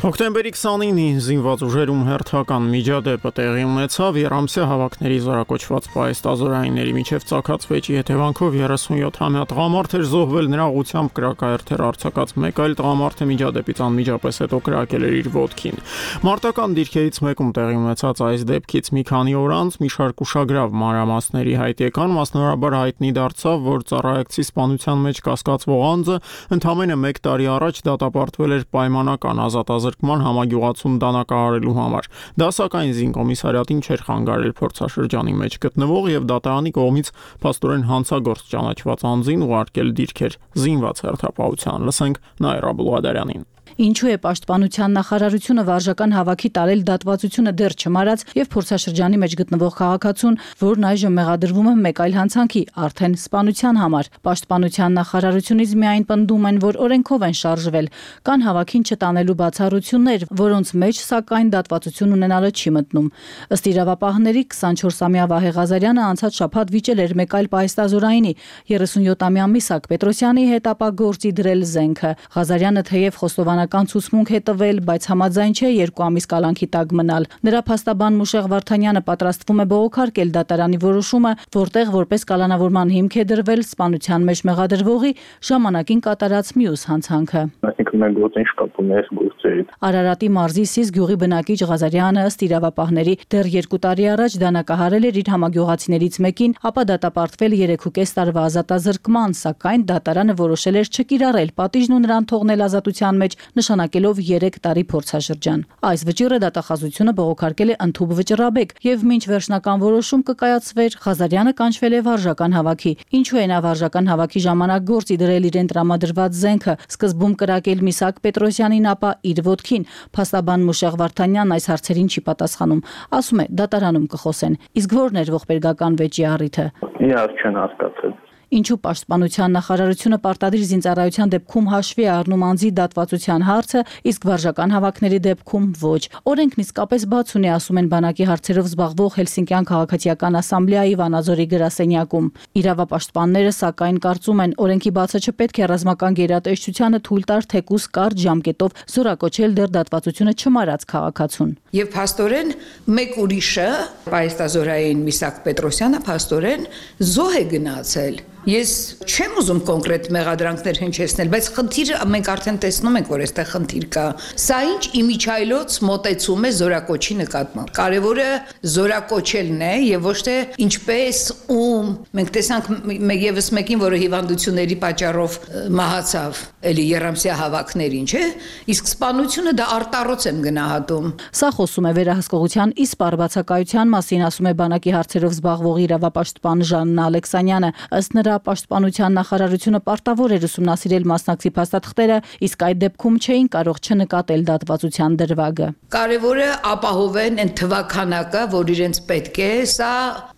Հոկտեմբերի քսանինին զինված ուժերում հերթական միջադեպը տեղի ունեցավ երամսյա հավաքների զորակոչված պայստազորայինների միջև ծագած վեճի հետևանքով երեսունյոթամյա տղամարդ էր զոհվել, նրա ուղությամբ կրակահերթեր արձակած մեկ այլ տղամարդը միջադեպից անմիջապես հետո կրակել էր իր ոտքին։ Մարտական դիրքերից մեկում տեղի ունեցած այս դեպքից մի քանի օր անց մի շարք ուշագրավ մանրամասների հայտ եկան, մասնավորաբար հայտնի դարձավ, որ ծառայեկցի սպանության մեջ կասկածվող անձը ընդամենը մեկ տարի առաջ դատապարտվել էր պայմանական ազատազրկման համագյուղացում դանակահարելու համար։ Դա սակայն զինկոմիսարիատին չէր խանգարել փորձաշրջանի մեջ գտնվող եւ դատարանի կողմից փաստորեն հանցագործ ճանաչված անձին ուղարկել դիրքեր զինված հերթապահության։ Լսենք Նաիրա Բուլղադարյանին։ Ինչու է պաշտպանության նախարարությունը վարժական հավաքի տարել դատվածությունը դեռ չմարած եւ փորձաշրջանի մեջ գտնվող քաղաքացուն, որն այժմ մեղադրվում է մեկ այլ հանցանքի, արդեն սպանության համար։ Պաշտպանության նախարարությունից միայն պնդում են, որ օրենքով են շարժվել, կան հավաքին չտանելու բացառություններ, որոնց մեջ սակայն դատվածություն ունենալը չի մտնում։ Ըստ իրավապահների քսանչորսամյա Վահե Ղազարյանը անցած շաբաթ վիճել էր մեկ այլ պայստազորայինի երեսունյոթամյա Միսակ Պետրոսյանի հետ ապա գործի դրել զենքը։ Ղազարյանը թեև խոստովանական ցուցմունք է տվել, բայց համաձայն չէ երկու ամիս կալանքի տակ մնալ։ Նրա փաստաբան Մուշեղ Վարդանյանը պատրաստվում է բողոքարկել դատարանի որոշումը, որտեղ որպես կալանավորման հիմք է դրվել սպանության մեջ մեղադրվողի ժամանակին կատարած մյուս հանցանքը։ Այսինքն մենք գործ ինչ կապում է գործերից։ Արարատի մարզի Սիս գյուղի բնակիչ Ղազարյանը ըստ իրավապահների դեռ երկու տարի առաջ դանակահարել էր իր համագյուղացիներից մեկին, ապա դատապարտվել երեքուկես տարվա ազատազրկման, սակայն դատարանը որոշել էր չկիրառել պատիժն ու նրան թողնել ազատության մեջ, նշանակելով երեք տարի փորձաշրջան։ Այս վճիռը դատախազությունը բողոքարկել է ընդհուպ վճռաբեկ եւ մինչ վերջնական որոշում կկայացվեր, Ղազարյանը կանչվել է վարժական հավաքի։ Ինչու է նա վարժական հավաքի ժամանակ գործի դրել իրեն տրամադրված զենքը, սկզբում կրակել Միսակ Պետրոսյանին, ապա իր ոտքին։ Փաստաբան Մուշեղ Վարդանյանն այս հարցերին չի պատասխանում։ Ասում է դատարանում կխոսեն։ Իսկ ո՞րն էր ողբերգական վեճի առիթը։ Իհարկե չեն հասկացել։ Ինչու պաշտպանության նախարարությունը պարտադիր զինծառայության դեպքում հաշվի է առնում անձի դատվածության հարցը, իսկ վարժական հավաքների դեպքում ոչ։ Օրենքն իսկապես բաց ունի, ասում են բանակի հարցերով զբաղվող Հելսինկյան քաղաքացիական ասամբլեայի Վանաձորի գրասենյակում։ Իրավապաշտպանները սակայն կարծում են, օրենքի բացը չպետք է ռազմական գերատեսչությանը թույլ տար թեկուզ կարճ ժամկետով զորակոչել դեռ դատվածությունը չմարած քաղաքացուն։ Եվ փաստորեն մեկ ուրիշը, պայստազորային Միսակ Պետրոսյանը փաստորեն զոհ է գնացել։ Ես չեմ ուզում կոնկրետ մեղադրանքներ հնչեցնել, բայց խնդիրը մենք արդեն տեսնում ենք, որ այստեղ խնդիր կա։ Սա ինչ իմիջայլոց մոտեցում է զորակոչի նկատմամբ։ Կարևորը զորակոչելն է եւ ոչ թե ինչպես ում։ Մենք տեսանք եւս մեկին, որը հիվանդությունների պատճառով մահացավ, էլի երամսյա հավաքներին, չէ՞։ Իսկ սպանությունը դա արտառոց եմ գնահատում։ Սա խոսում է վերահսկողության իսպառ բացակայության մասին, ասում է բանակի հարցերով զբաղվող իրավապաշտպան Ժաննա Ալեքսանյանը։ Ըստ նրա պաշտպանության նախարարությունը պարտավոր էր ուսումնասիրել մասնակցի փաստաթղթերը, իսկ այդ դեպքում չէին կարող չնկատել դատվածության դրվագը։ Կարևորը ապահովեն այն թվականակը, որ իրենց պետք է, սա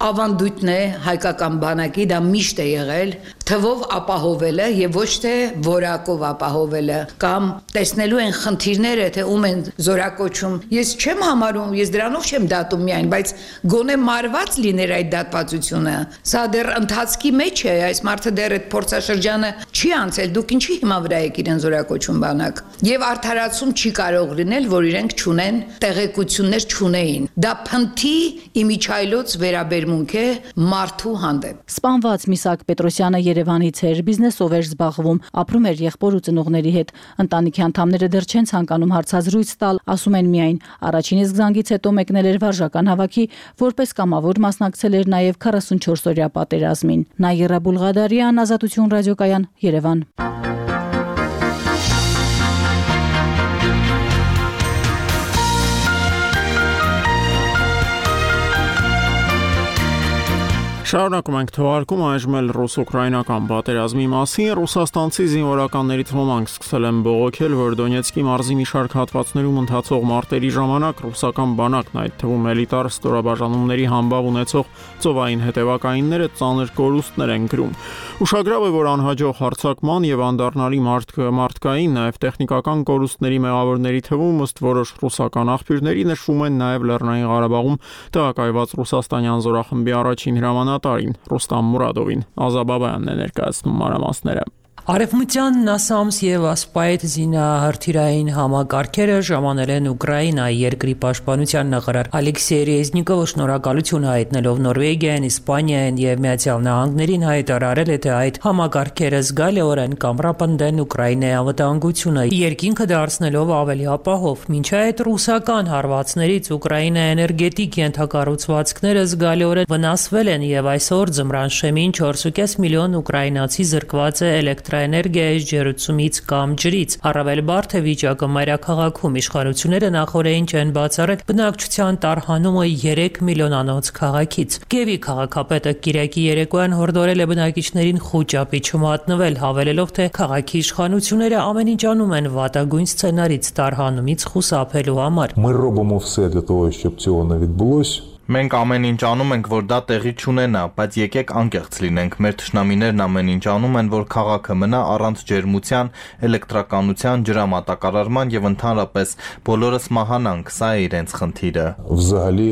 ավանդույթն է հայկական բանակի, դա միշտ է եղել, թվով ապահովելը եւ ոչ թե որակով ապահովելը կամ տեսնելու են խնդիրները, թե ում են զորակոչում։ Ես չեմ համարում, ես դրանով չեմ դատում միայն, բայց գոնե մարված լիներ այդ դատվածությունը։ Սա դեռ ընթացքի մեջ է, այս մարդը դեռ այդ փորձաշրջանը չի անցել, դուք ինչի հիմա վրա եք իրեն զորակոչում բանակ։ Եվ արդարացում չի կարող լինել, որ իրենք չունեն տեղեկություններ չունեին։ Դա փնթի իմիջայլոց վերաբերմունք է մարդու հանդեպ։ Սպանված Միսակ Պետրոսյանը Երևանից էր, բիզնեսով էր զբաղվում, ապրում էր եղբոր ու ծնողների հետ։ Ընտանիքի անդամները դեռ չեն ցանկանում հարցազրույց տալ, ասում են միայն առաջին իսկ զանգից հետո մեկնել էր վարժական հավաքի, որպես կամավոր մասնակցել էր նաև քառասունչորս օրյա պատերազմին։ Նաիրա Բուլղադարյան, Ազատություն ռադիոկայան, Երևան։ Շարունակում ենք թողարկում այժմ էլ ռուս-ուկրաինական պատերազմի մասին։ Ռուսաստանցի զինվորականներից ոմանք սկսել են բողոքել, որ Դոնեցկի մարզի մի շարք հատվածներում ընթացող մարտերի ժամանակ ռուսական բանակն, այդ թվում էլիտար ստորաբաժանումների համբավ ունեցող ծովային հետևակայինները ծանր կորուստներ են կրում։ Ուշագրավ է, որ անհաջող հարձակման եւ անդառնալի մարդկային, նաեւ տեխնիկական կորուստների մեղավորների թվում ըստ որոշ ռուսական աղբյուրների նշվում են նաեւ Լեռնային Ղարաբաղում տեղակայված ռուսաստանյան զորախմբի առաջին հրամանատարին Ռուստամ Մուրադովին։ Ազաբաբյանն է ներկայացնում մանրամասները։ Արևմտյան նասամս եւ ասպայտ զինահրթիռային համակարգերը ժամանել են Ուկրաինայի երկրի պաշտպանության նախարար Ալեքսեյ Ռեզնիկովը շնորհակալություն հայտնելով Նորվեգիային, Իսպանիային եւ Միացյալ Նահանգներին հայտարարել է, թե այդ համակարգերը զգալիորեն կամրապնդեն Ուկրաինայի անվտանգությունը, երկինքը դարձնելով ավելի ապահով։ Մինչ այդ ռուսական հարվածներից Ուկրաինայի էներգետիկ ենթակառուցվածքները զգալիորեն վնասվել են եւ այսօր ձմռան շեմին չորս ու կես միլիոն ուկրաինացի զրկված է էլեկտրաէներգիայի ջրուցումից կամ ջրից։ Առավել բարդ է վիճակը մայրաքաղաքում։ Իշխանությունները նախորդին չեն բացառել բնակչության տարհանումը երեք միլիոնանոց քաղաքից։ Կիևի քաղաքապետը Կիրակի երեկոյան հորդորել է բնակիչներին խուճապի չմատնվել, հավելելով, թե քաղաքի իշխանությունները ամեն ինչ անում են վատագույն սցենարից տարհանումից խուսափելու համար։ Ми робимо все для того, щоб цього не відбулось. Մենք ամեն ինչ անում ենք, որ դա տեղի չունենա, բայց եկեք անկեղծ լինենք։ Մեր թշնամիներն ամեն ինչ անում են, որ քաղաքը մնա առանց ջերմության, էլեկտրականության, ջրամատակարարման եւ ընդհանրապես բոլորս մահանանք, սա է իրենց խնդիրը։ Взагалі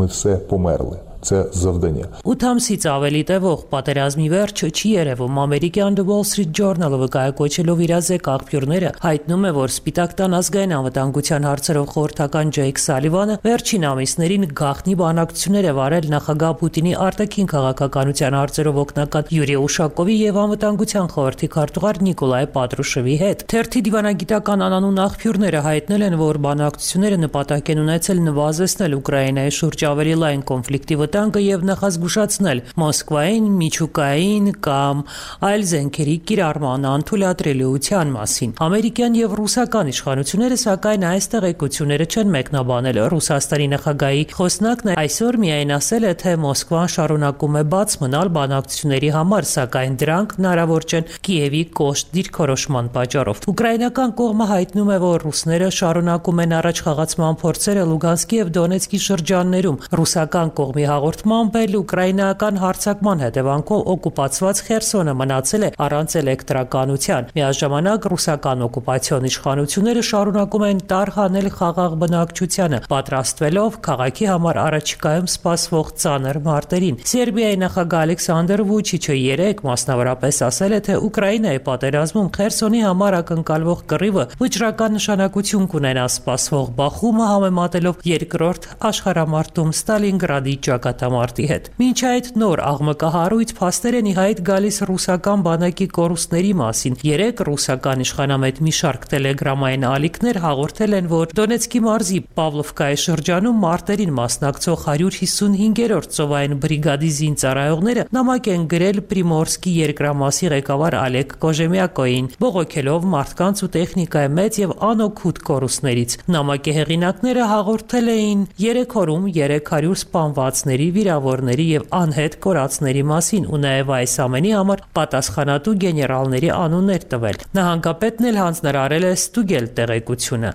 ми все померли. Це завдання. ութ ամսից ավելի տևող պատերազմի վերջը չի երևում։ Ամերիկյան The Wall Street Journal-ը վկայակոչելով իրազեկ աղբյուրները հայտնում է, որ Սպիտակ տան ազգային անվտանգության հարցերով խորհրդական Ջեյք Սալիվանը վերջին ամիսներին գաղտնի բանակցություններ է վարել նախագահ Պուտինի արտաքին քաղաքականության հարցերով օգնական Յուրի Ուշակովի եւ անվտանգության խորհրդի քարտուղար Նիկոլայ Պատրուշևի հետ։ Թերթի դիվանագիտական անանուն աղբյուրները հայտնել են, որ բանակցությունները նպատակ են ունեցել նվազեցնել Ուկրաինայի շուրջ ավելի լայն կոնֆլիկտի տանկը եւ նախազգուշացնել Մոսկվային միջուկային կամ այլ զենքերի կիրառման անթույլատրելիության մասին։ Ամերիկյան եւ ռուսական իշխանությունները սակայն այս տեղեկությունները չեն մեկնաբանել։ Ռուսաստանի նախագահի խոսնակն այսօր միայն ասել է, թե Մոսկվան շարունակում է բաց մնալ բանակցությունների համար, սակայն դրանք հնարավոր չեն Կիևի կոշտ դիրքորոշման պատճառով։ Ուկրաինական կողմը հայտնում է, որ ռուսները շարունակում են առաջխաղացման փորձերը Լուգանսկի եւ Դոնեցկի շրջաններում։ Ռուսական կողմի հաղորդմամբ էլ ուկրաինական հարձակման հետևանքով օկուպացված Խերսոնը մնացել է առանց էլեկտրականության։ Միաժամանակ ռուսական օկուպացիոն իշխանությունները շարունակում են տարհանել խաղաղ բնակչությանը, պատրաստվելով քաղաքի համար առաջիկայում սպասվող ծանր մարտերին։ Սերբիայի նախագահ Ալեքսանդր Վուչիչը երեկ մասնավորապես ասել է, թե Ուկրաինայի պատերազմում Խերսոնի համար ակնկալվող կռիվը վճռական նշանակություն կունենա սպասվող բախումը համեմատելով երկրորդ աշխարհամարտում Ստալինգրադի ճակատամարտի հետ։ Մինչ այդ նոր աղմկահարույց փաստեր են ի հայտ գալիս ռուսական բանակի կորուստների մասին։ Երեք ռուսական իշխանամետ մի շարք տելեգրամային ալիքներ հաղորդել են, որ Դոնեցկի մարզի Պավլովկայի շրջանում մարտերին մասնակցող հարյուր հիսունհինգերորդ ծովային բրիգադի զինծառայողները նամակ են գրել Պրիմորսկի երկրամասի ղեկավար Ալեկ Կոժեմյակոին, բողոքելով մարդկանց ու տեխնիկայի մեծ եւ անօգուտ կորուստներից։ Նամակի հեղինակները հաղորդել էին երեք օրում երեք հարյուր սպանվածների, վիրավորների եւ անհետ կորածների մասին ու նաեւ այս ամենի համար պատասխանատու գեներալների անուններ տվել։ Նահանգապետն էլ հանձնարարել է ստուգել տեղեկությունը։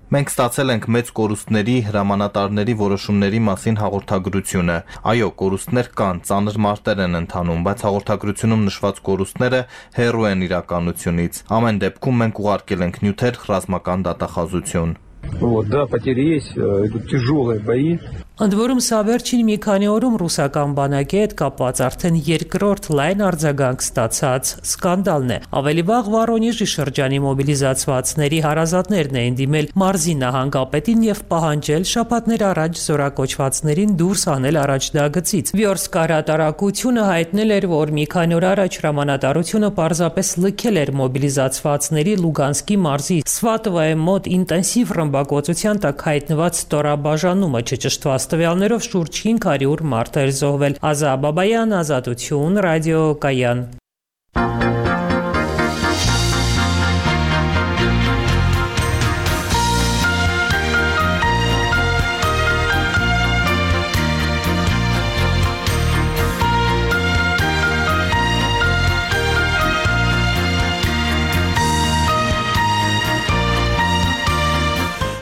Մենք ստացել ենք մեծ կորուստների, հրամանատարների որոշումների մասին հաղորդագրությունը։ Այո, կորուստներ կան, ծանր մարտեր են ընթանում, բայց հաղորդագրությունում նշված կորուստները հեռու են իրականությունից։ Ամեն դեպքում մենք ուղարկել ենք նյութեր, ռազմական դատախազություն։ Вот, да, потери есть, идут тяжелые бои. Ընդ որում սա վերջին մի քանի օրում ռուսական բանակի հետ կապված արդեն երկրորդ լայն արձագանք ստացած սկանդալն է։ Ավելի վաղ Վորոնեժի շրջանի մոբիլիզացվածների հարազատներն էին դիմել մարզի նահանգապետին եւ պահանջել շաբաթներ առաջ զորակոչվածներին դուրս անել առաջդագծից։ Վյորսկ հրատարակությունը հայտնել էր, որ մի քանի օր առաջ հրամանատարությունը պարզապես լքել էր մոբիլիզացվածների Լուգանսկի մարզի Սվատովայի մոտ ինտենսիվ ռմբակոծության տակ հայտնված ստորաբաժանումը չճշտված տվյալներով շուրջ հինգ հարյուր մարդ էր զոհվել։ Ազա Բաբայան, Ազատություն, Ռադիո Կայան։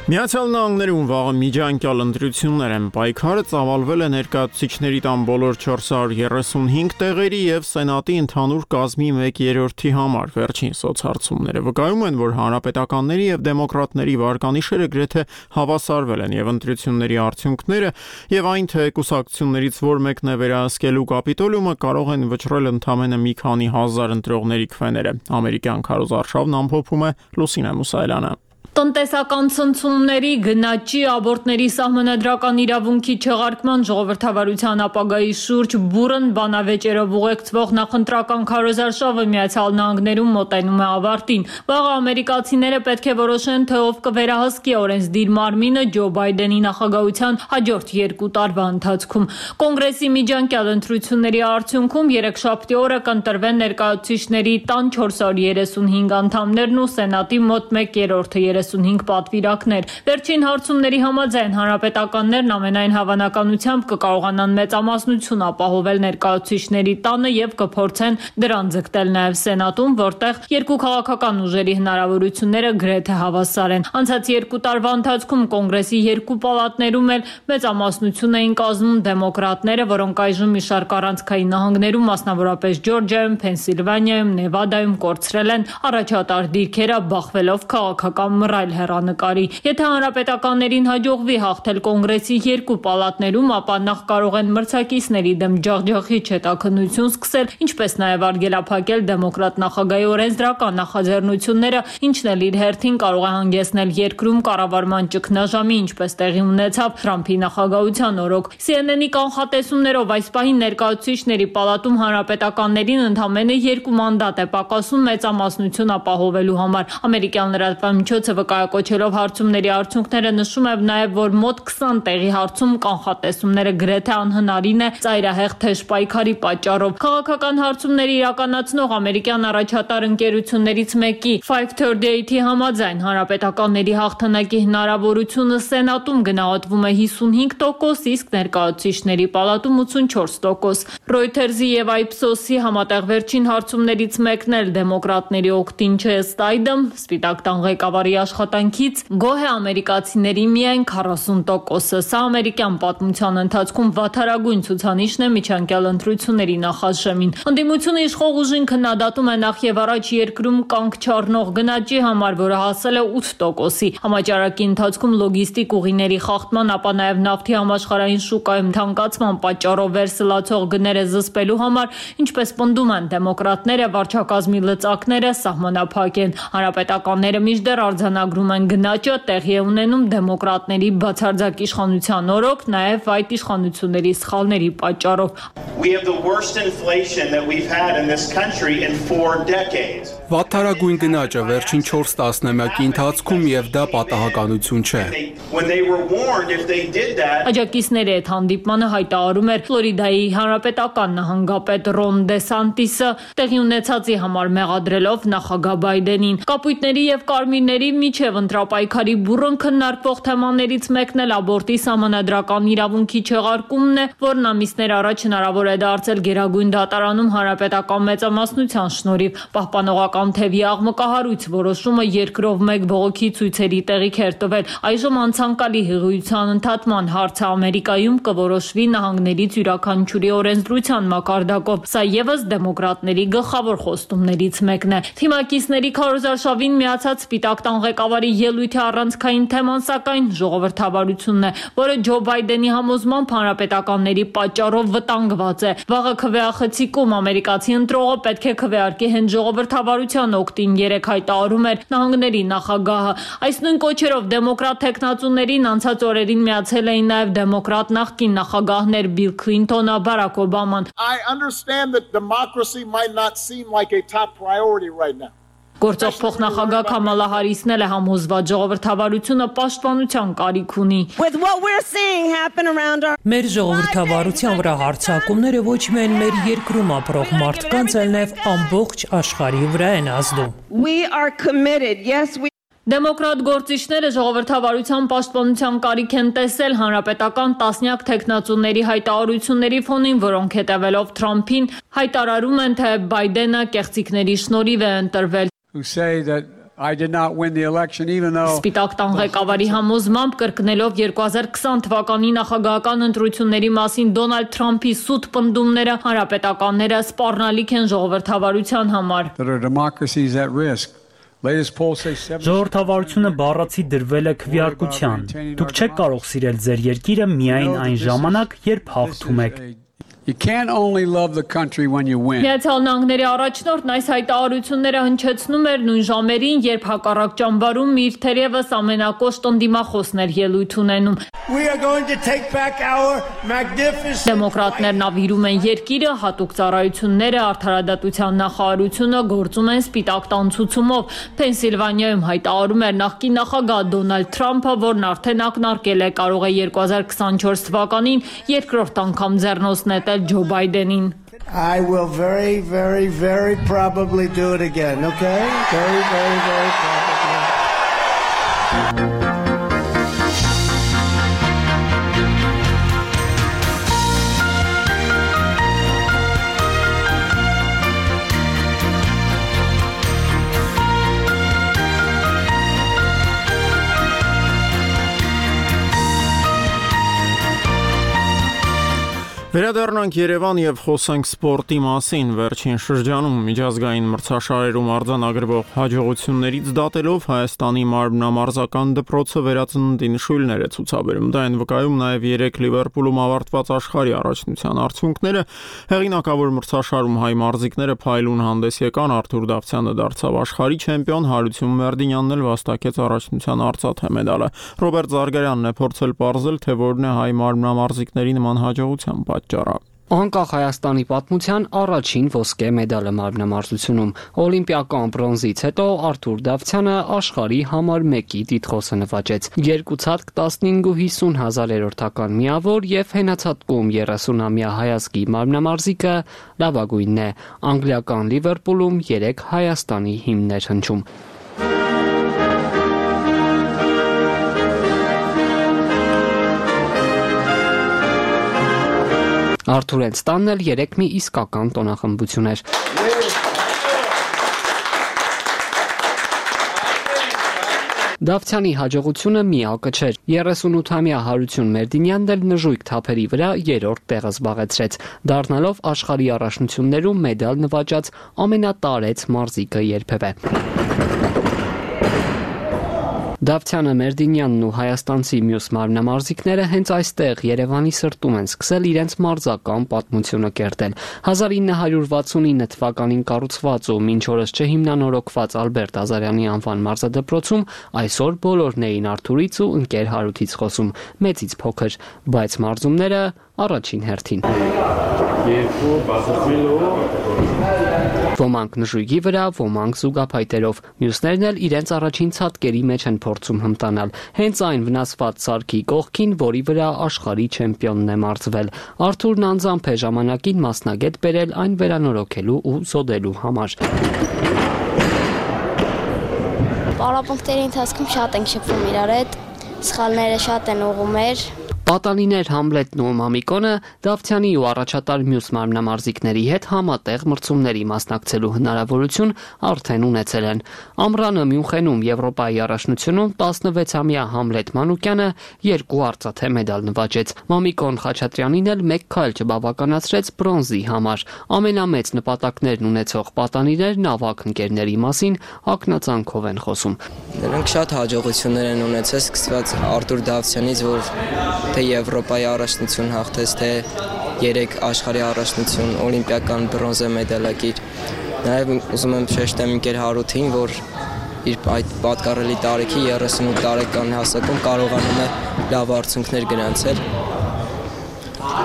Միացյալ Նահանգներում վաղը միջանկյալ ընտրություններ են, պայքարը ծավալվել է ներկայացուցիչների տան բոլոր չորս հարյուր երեսունհինգ տեղերի և Սենատի ընդհանուր կազմի մեկ երրորդի համար։ Վերջին սոցհարցումները վկայում են, որ հանրապետականների և դեմոկրատների վարկանիշերը գրեթե հավասարվել են, և ընտրությունների արդյունքները և այն, թե կուսակցություններից որ մեկն է վերահսկելու Կապիտոլիումը, կարող են վճռել ընդամենը մի քանի հազար ընտրողների քվեները։ Ամերիկյան քարոզարշավն ամփոփում է Լուսինե Մուսայելյանը։ Տնտեսական ցնցումների, գնաճի, աբորտների սահմանադրական իրավունքի չեղարկման, ժողովրդավարության ապագայի շուրջ բուռն բանավեճերով ուղեկցվող նախընտրական քարոզարշավը Միացյալ Նահանգներում մոտենում է ավարտին։ Վաղը ամերիկացիները պետք է որոշեն, թե ով կվերահսկի օրենսդիր մարմինը Ջո Բայդենի նախագահության հաջորդ երկու տարվա ընթացքում։ Կոնգրեսի միջանկյալ ընտրությունների արդյունքում երեքշաբթի օրը կընտրվեն ներկայացուցիչների տան չորս հարյուր երեսունհինգ անդամներն ու Սենատի մոտ մեկ երրորդը երեսունհինգ պատվիրակներ։ Վերջին հարցումների համաձայն հանրապետականներն ամենայն հավանականությամբ կկարողանան մեծամասնություն ապահովել ներկայացուցիչների տանը և կփորձեն դրան ձգտել նաև Սենատում, որտեղ երկու քաղաքական ուժերի հնարավորությունները գրեթե հավասար են։ Անցած երկու տարվա ընթացքում Կոնգրեսի երկու պալատներում էլ մեծամասնություն էին կազմում դեմոկրատները, որոնք այժմ մի շարք առանցքային նահանգներում, մասնավորապես Ջորջիայում, Փենսիլվանիայում, Նևադայում կորցրել են առաջատար դիրքերը, բախվելով քաղաքական մռայլ հեռանկարի։ Եթե հանրապետականներին հաջողվի հաղթել Կոնգրեսի երկու պալատներում, ապա նախ կարող են մրցակիցների դեմ ջախջախիչ հետաքննություն սկսել, ինչպես նաև արգելափակել դեմոկրատ նախագահի օրենսդրական նախաձեռնությունները, ինչն էլ իր հերթին կարող է հանգեցնել երկրում կառավարման ճգնաժամի, ինչպես տեղի ունեցավ Թրամփի նախագահության օրոք։ Սի Էն Էն-ի կանխատեսումներով այս պահին ներկայացուցիչների պալատում հանրապետականներին ընդամենը երկու մանդատ է պակասում մեծամասնություն ապահովելու համար։ Ամերիկյան լրատվամիջոցը վկայակոչելով հարցումների արդյունքները նշում է նաև, որ մոտ քսան տեղի հարցում կանխատեսումները գրեթե անհնարին է ծայրահեղ թեժ պայքարի պատճառով։ Քաղաքական հարցումների իրականացնող ամերիկյան առաջատար ընկերություններից մեկի five thirty-eight-ի համաձայն հանրապետականների հաղթանակի հնարավորությունը Սենատում գնահատվում է հիսունհինգ տոկոս, իսկ ներկայացուցիչների պալատում ութսունչորս տոկոս։ Reuters-ի եւ Ipsos-ի համատեղ վերջին հարցումներից մեկն էլ դեմոկրատների օգտին չէ ըստ այդմ, Սպիտակ տան ղեկավարի աշխատանքից գոհ է ամերիկացիների միայն քառասուն տոկոսը։ Սա ամերիկյան պատմության ընթացքում վատթարագույն ցուցանիշն է միջանկյալ ընտրությունների նախաշեմին։ Ընդդիմությունը իշխող ուժին քննադատում է նախ եւ առաջ երկրում կանգ չառնող գնաճի համար, որը հասել է ութ տոկոսի։ Համաճարակի ընթացքում լոգիստիկ ուղիների խախտման, ապա նաև նավթի համաշխարհային շուկայում թանկացման պատճառով վերսլացող գները զսպելու համար, ինչպես պնդում են դեմոկրատները, վարչակազմի լծակները սահմանափակ են։ Հանրապետականները մինչդեռ արձանագրում են գնաճը տեղի է ունենում դեմոկրատների բացարձակ իշխանության օրոք, նաև այդ իշխանությունների սխալների պատճառով։ Վատթարագույն գնաճը վերջին չորս տասնամյակի ընթացքում եւ դա պատահականություն չէ։ Աջակիցների հետ հանդիպմանը հայտարարում էր Ֆլորիդայի հանրապետական նահանգապետ Ռոն Դե Սանտիսը, տեղի ունեցածի համար մեղադրելով նախագահ Բայդենին։ Կապույտների եւ կարմիրների միջև ընտրապայքարի բուռն քննարկվող թեմաներից մեկն էլ աբորտի սահմանադրական իրավունքի չեղարկումն է, որն ամիսներ առաջ հնարավոր է դարձել Գերագույն դատարանում հանրապետական մեծամասնության շնորհիվ։ Պահպանողական թևի աղմկահարույց որոշումը երկրով մեկ բողոքի ցույցերի տեղիք էր տվել։ Այժմ անցանկալի հղիության ընդհատման հարցը Ամերիկայում կորոշվի նահանգներից յուրաքանչյուրի օրենսդրության մակարդակով։ Սա եւս դեմոկրատների գլխավոր խոստումներից մեկն է։ Թիմակիցների քարոզարշավին միացած Սպիտակ տան ղեկավարի ելույթի առանցքային թեման սակայն ժողովրդավարությունն է, որը Ջո Բայդենի համոզմամբ հանրապետականների պատճառով վտանգված է։ Վաղը քվեախցիկում ամերիկացի ընտրողը պետք է քվեարկի հենց ժողովրդավարության օգտին, երեք հայտարարում էր նահանգների նախագահը։ Այս նույն կոչերով դեմոկրատ տեխնացուներին անցած օրերին միացել էին նաև դեմոկրատ նախկին նախագահներ Բիլ Քլինտոնը, Բարակ Օբաման։ I understand that democracy might not seem like a top priority right now. Գործող փոխնախագահ Քամալա Հարիսն էլ է համոզված ժողովրդավարությունը պաշտպանության կարիք ունի։ Մեր ժողովրդավարության վրա հարձակումները ոչ միայն մեր երկրում ապրող մարդկանց, այլ նաև ամբողջ աշխարհի վրա են ազդում։ Դեմոկրատ գործիչները ժողովրդավարության պաշտպանության կարիք են տեսել հանրապետական տասնյակ թեկնածուների հայտարարությունների ֆոնին, որոնք հետևելով Թրամփին հայտարարում են, թե Բայդենը կեղծիքների շնորհիվ է ընտրվել։ Who say that I did not win the election even though Սպիտակ տան ղեկավարի համոզմամբ կրկնելով երկու հազար քսան թվականի նախագահական ընտրությունների մասին Դոնալդ Թրամփի սուտ պնդումները հանրապետականները սպառնալիք են ժողովրդավարության համար։ that our democracy is at risk. Latest polls say seven Ժողովրդավարությունը բառացի դրվել է քվեարկության։ Դուք չեք կարող սիրել ձեր երկիրը միայն այն ժամանակ, երբ հաղթում եք։ You can't only love the country when you win. Միացյալ Նահանգների առաջնորդն այս հայտարարությունները հնչեցնում էր նույն ժամերին, երբ հակառակ ճամբարում իր թերևս ամենակոշտ ընդդիմախոսն էր ելույթ ունենում։ We are going to take back our magnificent Դեմոկրատներն ավիրում են երկիրը, հատուկ ծառայությունները, արդարադատության նախարարությունը գործում են Սպիտակ տան ցուցումով։ Փենսիլվանիայում հայտարարում էր նախկին նախագահ Դոնալդ Թրամփը, որն արդեն ակնարկել է կարող է երկու հազար քսանչորս թվականին երկրորդ անգամ ձեռնոց նետել Ջո Բայդենին։ I will very very very probably do it again, okay? Very very very probably. Վերադառնանք Երևան եւ խոսենք սպորտի մասին։ Վերջին շրջանում միջազգային մրցաշարերում արձանագրվող հաջողություններից դատելով Հայաստանի մարմնամարզական դպրոցը վերածննդի նշույլներ է ցուցաբերում։ Դա են վկայում նաեւ երեք Լիվերպուլում ավարտված աշխարհի առաջնության արդյունքները։ Հեղինակավոր մրցաշարում հայ մարզիկները փայլուն հանդես եկան, Արթուր Դավթյանը դարձավ աշխարհի չեմպիոն, Հարություն Մերդինյանն էլ վաստակեց առաջնության արծաթե մեդալը։ Ռոբերտ Զարգարյանն է փորձել պարզել, թե որն է հայ մարմնամարզիկների նման հաջողության պատճառը։ Անկախ Հայաստանի պատմության առաջին ոսկե մեդալը մարմնամարզությունում օլիմպիական բրոնզից հետո Արթուր Դավթյանը աշխարհի համար մեկի տիտղոսը նվաճեց։ Երկու ցածկ տասնհինգ ու հիսուն հազարերորդական միավոր եւ հենացածքում երեսունամյա հայազգի մարմնամարզիկը լավագույնն է։ Անգլիական Լիվերպուլում երեք Հայաստանի հիմներ հնչում։ Արթուրեն ստանն էլ երեք մի իսկական տոնախմբություն էր։ Դավթյանի հաջողությունը միակը չէր։ երեսունութամյա Հարություն Մերդինյանն էլ նժույգ թափերի վրա երրորդ տեղը զբաղեցրեց, դառնալով աշխարհի առաջնություններում մեդալ նվաճած ամենատարեց մարզիկը երբևէ։ Դավթյանը, Մերդինյանն ու հայաստանցի մյուս մարմնամարզիկները հենց այստեղ Երևանի սրտում են սկսել իրենց մարզական պատմությունը կերտել։ հազար ինը հարյուր վաթսունինը թվականին կառուցված ու մինչ օրս չհիմնանորոգված Ալբերտ Ազարյանի անվան մարզադպրոցում այսօր բոլորն էին Արթուրից ու ընկեր Հարութից խոսում, մեծից փոքր, բայց մարզումները առաջին հերթին։ Երկու Ոմանք նժույգի վրա, ոմանք զուգափայտերով, մյուսներն էլ իրենց առաջին ցատկերի մեջ են փորձում հմտանալ, հենց այն վնասված սարքի կողքին, որի վրա աշխարհի չեմպիոնն է մարզվել։ Արթուրն անձամբ է ժամանակին մասնագետ բերել այն վերանորոգելու ու զոդելու համար։ Պարապմունքների ընթացքում շատ ենք շփվում իրար հետ, սխալները շատ են ուղում էր։ Պատանիներ Համլետն ու Մամիկոնը Դավթյանի ու առաջատար մյուս մարմնամարզիկների հետ համատեղ մրցումների մասնակցելու հնարավորություն արդեն ունեցել են։ Ամռանը Մյունխենում Եվրոպայի առաջնությունում տասնվեցամյա Համլետ Մանուկյանը երկու արծաթե մեդալ նվաճեց։ Մամիկոն Խաչատրյանին էլ մեկ քայլ չբավականացրեց բրոնզի համար։ Ամենամեծ նպատակներն ունեցող պատանիներն ավագ ընկերների մասին ակնածանքով են խոսում։ Նրանք շատ հաջողություններ են ունեցել, սկսված Արթուր Դավթյանից, որ թե Եվրոպայի առաջնություն հաղթեց, թե երեք աշխարհի առաջնություն, օլիմպիական բրոնզե մեդալակիր։ Նաև ուզում եմ շեշտեմ ընկեր Հարութին, որ իր այդ պատկառելի տարիքի երեսունութ տարեկան հասակում կարողանում է լավ արդյունքներ գրանցել։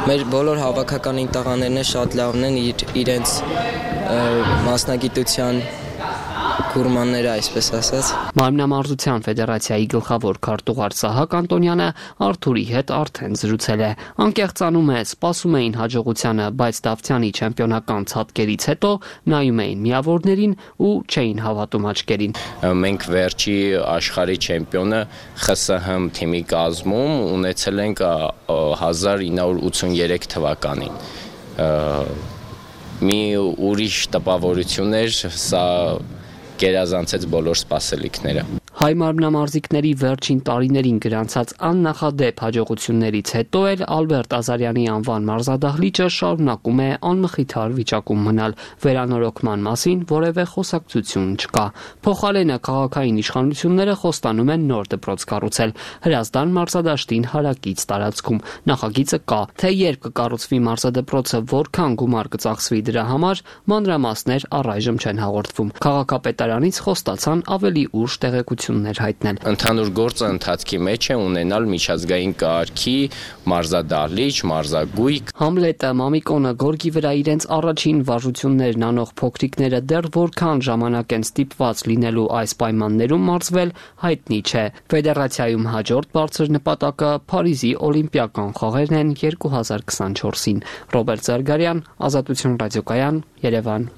Մեր բոլոր հավաքական տղաներն շատ լավն են իրենց մասնագիտության կուրմանները, այսպես ասած։ Մարմնամարզության ֆեդերացիայի գլխավոր քարտուղար Սահակ Անտոնյանը Արթուրի հետ արդեն զրուցել է։ Անկեղծանում է, սպասում էին հաջողությանը, բայց Դավթյանի չեմպիոնական ցատկերից հետո նայում էին միավորներին ու չէին հավատում աչքերին։ Մենք վերջի աշխարհի չեմպիոնը Խ С Հ թիմի կազմում ունեցել ենք հազար ինը հարյուր ութսուներեք թվականին։ Մի ուրիշ տպավորություն էր, սա գերազանցեց բոլոր սպասելիքները։ Հայ մարմնամարզիկների վերջին տարիներին գրանցած աննախադեպ հաջողություններից հետո էլ Ալբերտ Ազարյանի անվան մարզադահլիճը շարունակում է անմխիթար վիճակում մնալ, վերանորոգման մասին որևէ խոսակցություն չկա։ Փոխարենը քաղաքային իշխանությունները խոստանում են նոր դպրոց կառուցել Հրազդան մարզադաշտին հարակից տարածքում։ Նախագիծը կա, թե երբ կկառուցվի մարզադպրոցը, որքան գումար կծախսվի դրա համար, մանրամասներ առայժմ չեն հաղորդվում։ Քաղաքապետարանից խոստացան ավելի ուշ տեղեկություններ հայտնել։ Ընդհանուր գործը ընթացքի մեջ է ունենալ միջազգային կարգի մարզադահլիճ, մարզագույք։ Համլետը, Մամիկոնը, գորգի վրա իրենց առաջին վարժություններն անող փոքրիկները դեռ որքան ժամանակ են ստիպված լինելու այս պայմաններում մարզվել, հայտնի չէ։ Ֆեդերացիայում հաջորդ բարձր նպատակը Փարիզի օլիմպիական խաղերն են երկու հազար քսանչորսին։ Ռոբերտ Զարգարյան, Ազատություն ռադիոկայան, Երևան։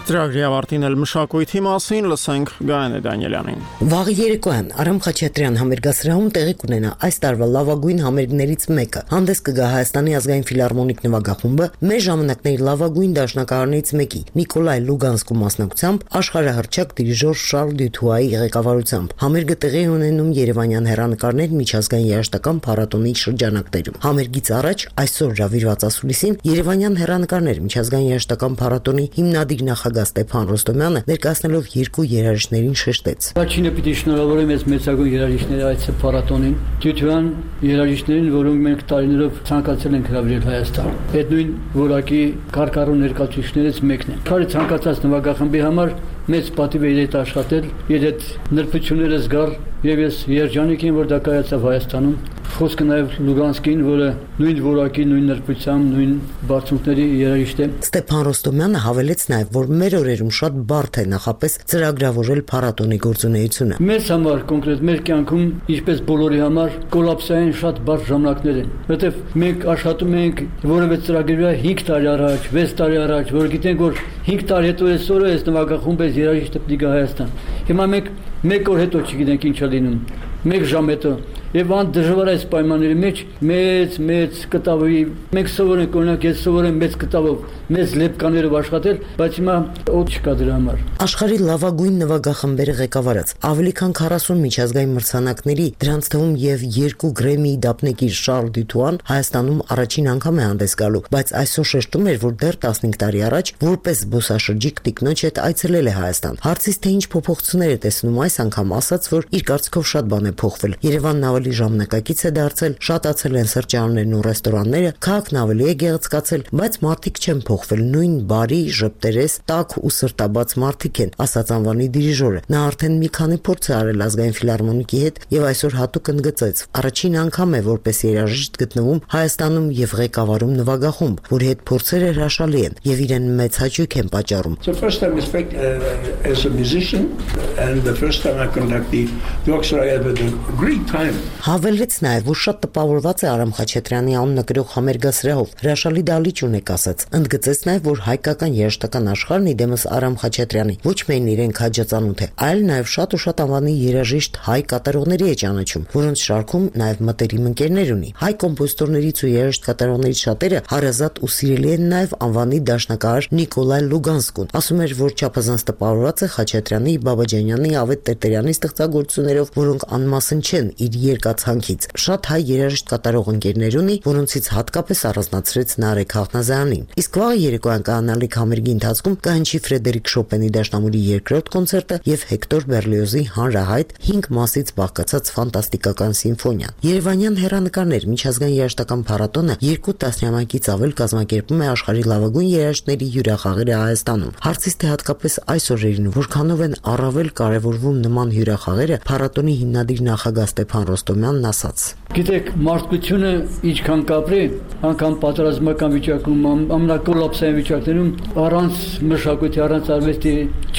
Ծրագրի ավարտին էլ մշակույթի մասին լսենք Գայանե Դանիելյանին։ Վաղ երեկոյան Արամ Խաչատրյան համերգասրահում տեղի կունենա այս տարվա լավագույն համերգներից մեկը։ Հանդես կգա Հայաստանի ազգային ֆիլհարմոնիկ նվագախումբը, մեր ժամանակների լավագույն դաշնակահարներից մեկի Նիկոլայ Լուգանսկու մասնակցությամբ աշխարհահռչակ դիրիժոր Շարլ Դյութուայի ղեկավարությամբ։ Համերգը տեղի է ունենում Երևանյան հեռանկարներ միջազգային երաժշտական փառատոնի շրջանակներում։ Համերգից առաջ այսօր Ռավիրված ասուլիսին Երևանյան հեռանկարներ միջազգային երաժշտական փառատոնի հիմնադիր նախագահ Ստեփան Ռոստոմյանը ներկայացնելով երկու երաժիշտներին շեշտեց. Առաջինը պիտի շնորհավորեմ այս մեծագույն երաժիշտների այս փառատոնին, Դյութուան երաժիշտներին, որոնք մենք տարիներով ցանկացել ենք հրավիրել Հայաստան։ Այդ նույն որակի կարկառու ներկայացուցիչներից մեկն է։ Քարի ցանկացած նվագախմբի համար մեծ պատիվ է իր աշխատել, իր այդ նրբությունները զգալ, եւ ես երջանիկ եմ, որ դա կայացավ Հայաստանում։ Խոսքը նաեւ Լուգանսկին, որը նույն որակի, նույն նրբությամբ, նույն բարձունքների երաժիշտ է։ Ստեփան Ռոստոմյանը հավելեց նաեւ, որ մեր օրերում շատ բարդ է նախապես ծրագրավորել փառատոնի գործունեությունը։ Մեզ համար կոնկրետ մեր կյանքում, ինչպես բոլորի համար, կոլապսային շատ բարդ ժամանակներ են, որովհետեւ մենք աշխատում ենք որևէ ծրագրի հինգ տարի առաջ, վեց տարի առաջ, որ գիտենք, որ հինգ տարի հետո այսօրը այս նվագախումբը երաժիշտը պիտի գա Հայաստան։ Հիմա մենք մեկ օր հետո չգիտենք ինչ է լինում, մեկ ժամ հետո։ Եվ ան դժվար այս պայմանների մեջ մեծ մեծ կտավի մենք սովոր ենք օրինակ ես սովոր եմ մեծ կտավով մեծ լեպկաներով աշխատել, բայց հիմա օդ չկա դրա համար։ Աշխարհի լավագույն նվագախմբերը ղեկավարած ավելի քան քառասուն միջազգային մրցանակների, դրանց թվում եւ երկու Գրեմմիի դափնեկիր Շարլ Դյութուան Հայաստանում առաջին անգամ է հանդես գալու, բայց այսօր շեշտում էր, որ դեռ տասնհինգ տարի առաջ որպես զբոսաշրջիկ տիկնոջ հետ այցելել է Հայաստան։ Հարցից թե ինչ փոփոխություններ է տեսնում այս անգամ, ասաց, որ իր կարծիքով շատ բան է փոխվել։ Երևանն ավելի ժամանակակից է դարձել, շատացել են սրճարաններն ու ռեստորանները, քաղաքն ավելի է գեղեցկացել, բայց մարդիկ չեն փոխվել, նույն բարի, ժպտերես, տաք ու սրտաբաց մարդիկ են, ասաց անվանի դիրիժորը։ Նա արդեն մի քանի փորձ է արել ազգային ֆիլհարմոնիկի հետ եւ այսօր հատուկ ընդգծեց. առաջին անգամ է որպես երաժիշտ գտնվում Հայաստանում եւ ղեկավարում նվագախումբ, որի հետ փորձերը հրաշալի են եւ իրեն մեծ հաճույք են պատճառում։ So first time is like uh, as a musician and the first time I conduct the orchestra I had a great time. Հավելեց նաև, որ շատ տպավորված է Արամ Խաչատրյանի անունը կրող համերգասրահով, հրաշալի դահլիճ ունեք ասաց։ Ընդգծեց նաև, որ հայկական երաժշտական աշխարհն իդեմս Արամ Խաչատրյանի ոչ միայն իրեն քաջածանութ է, այլ նաև շատ ու շատ անվանի երաժիշտ հայ կատարողների է ճանաչում, որոնց շարքում նաև մտերիմ ընկերներ ունի։ Հայ կոմպոզիտորներից ու երաժիշտ կատարողներից շատերը հարազատ ու սիրելի են նաև անվանի դաշնակահար Նիկոլայ Լուգանսկուն։ Ասում էր, որ չափազանց տպավորված է Խաչատրյանի, Բաբաջանյանի, Ավետ Տերտերյանի ստեղծագործություններով, որոնք անմասն չեն իր երկացանքից։ Շատ հայ երաժիշտ կատարող ընկերներ ունի, որոնցից հատկապես առանձնացրեց Նարեկ Հաղնազարյանին։ Իսկ վաղ երեկոյան կանալիք համերգի ընթացքում կհնչի Ֆրեդերիկ Շոպենի դաշնամուրի երկրորդ կոնցերտը եւ Հեկտոր Բերլիոզի հանրահայտ հինգ մասից բաղկացած ֆանտաստիկական սիմֆոնիան։ Երևանյան հեռանկարներ միջազգային երաժշտական փառատոնը երկու տասնամյակից ավել կազմակերպում է աշխարհի լավագույն երաժիշտների հյուրախաղերը Հայաստանում։ Հարցից թե հատկապես այս օրերին որքանով են առավել կարևորվում նման հյուրախաղերը, փառատոնի հիմնադիր նախագահ Ստեփան Ռոստոմյանն ասաց. Գիտեք, մարդկությունը ինչքան կապրի, անգամ պատերազմական վիճակում, ամենակոլապսային վիճակներում առանց մշակույթի, առանց արվեստի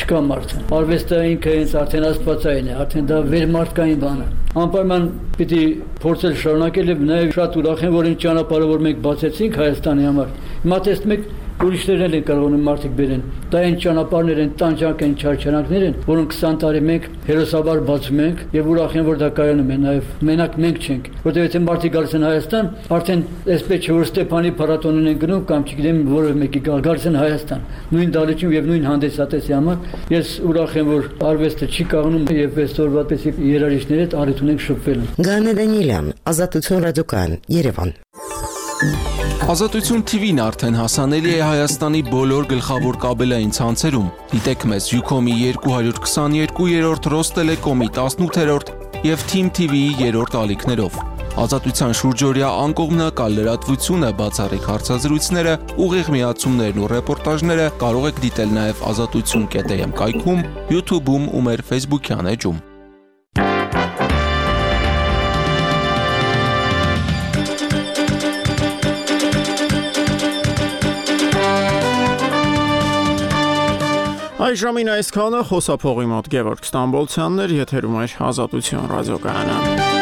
չկա մարդը։ Արվեստը ինքը հենց արդեն աստվածային է, արդեն դա վերմարտկային բան է։ Անպայման պիտի փորձել շարունակել եւ նաեւ շատ ուրախ եմ, որ այն ճանապարհը, որ մենք բացեցինք Հայաստանի համար, հիմա տեսնում եք ուրիշներն են կարողանում մարդիկ բերեն։ Դա այն ճանապարհներ են, տանջանք են, չարչարանքներ են, որոնք քսան տարի մենք հերոսաբար բացում ենք եւ ուրախ եմ, որ դա կայանում է նաեւ մենակ մենք չենք, որտեղ եթե մարդիկ գալիս են Հայաստան, արդեն այսպես չէ, որ Ստեփանի փառատոնին են գնում կամ չգիտեմ որևէ մեկի գալիս են Հայաստան, նույն դալիճում եւ նույն հանդեսատեսի համար։ Ես ուրախ եմ, որ արվեստը չի կաղնում եւ այսօրվա պես երաժիշտների հետ առիթ ունենք շփվել։ Գանե Դանիելյան, Ազատություն ռադիոկայան, Երևան։ Ազատություն թի վին արդեն հասանելի է Հայաստանի բոլոր գլխավոր կաբելային ցանցերում։ Դիտեք մեզ Յուքոմի երկու քսաներկու, Ռոստելեկոմի տասնութերորդ եւ Թիմ թի վիի երրորդ ալիքներով։ Ազատության շուրջօրյա անկողմնակալ լրատվությունը, բացառիկ հարցազրույցները, ուղիղ միացումներն ու ռեպորտաժները կարող եք դիտել նաեւ ազատություն կետ էմ կայքում, YouTube-ում ու մեր Facebook-յան էջում։ Այժմին այսքանը խոսափողի մոտ Գևորգ Ստամբոլցյանն էր, եթերում էր Ազատություն ռադիոկայանը։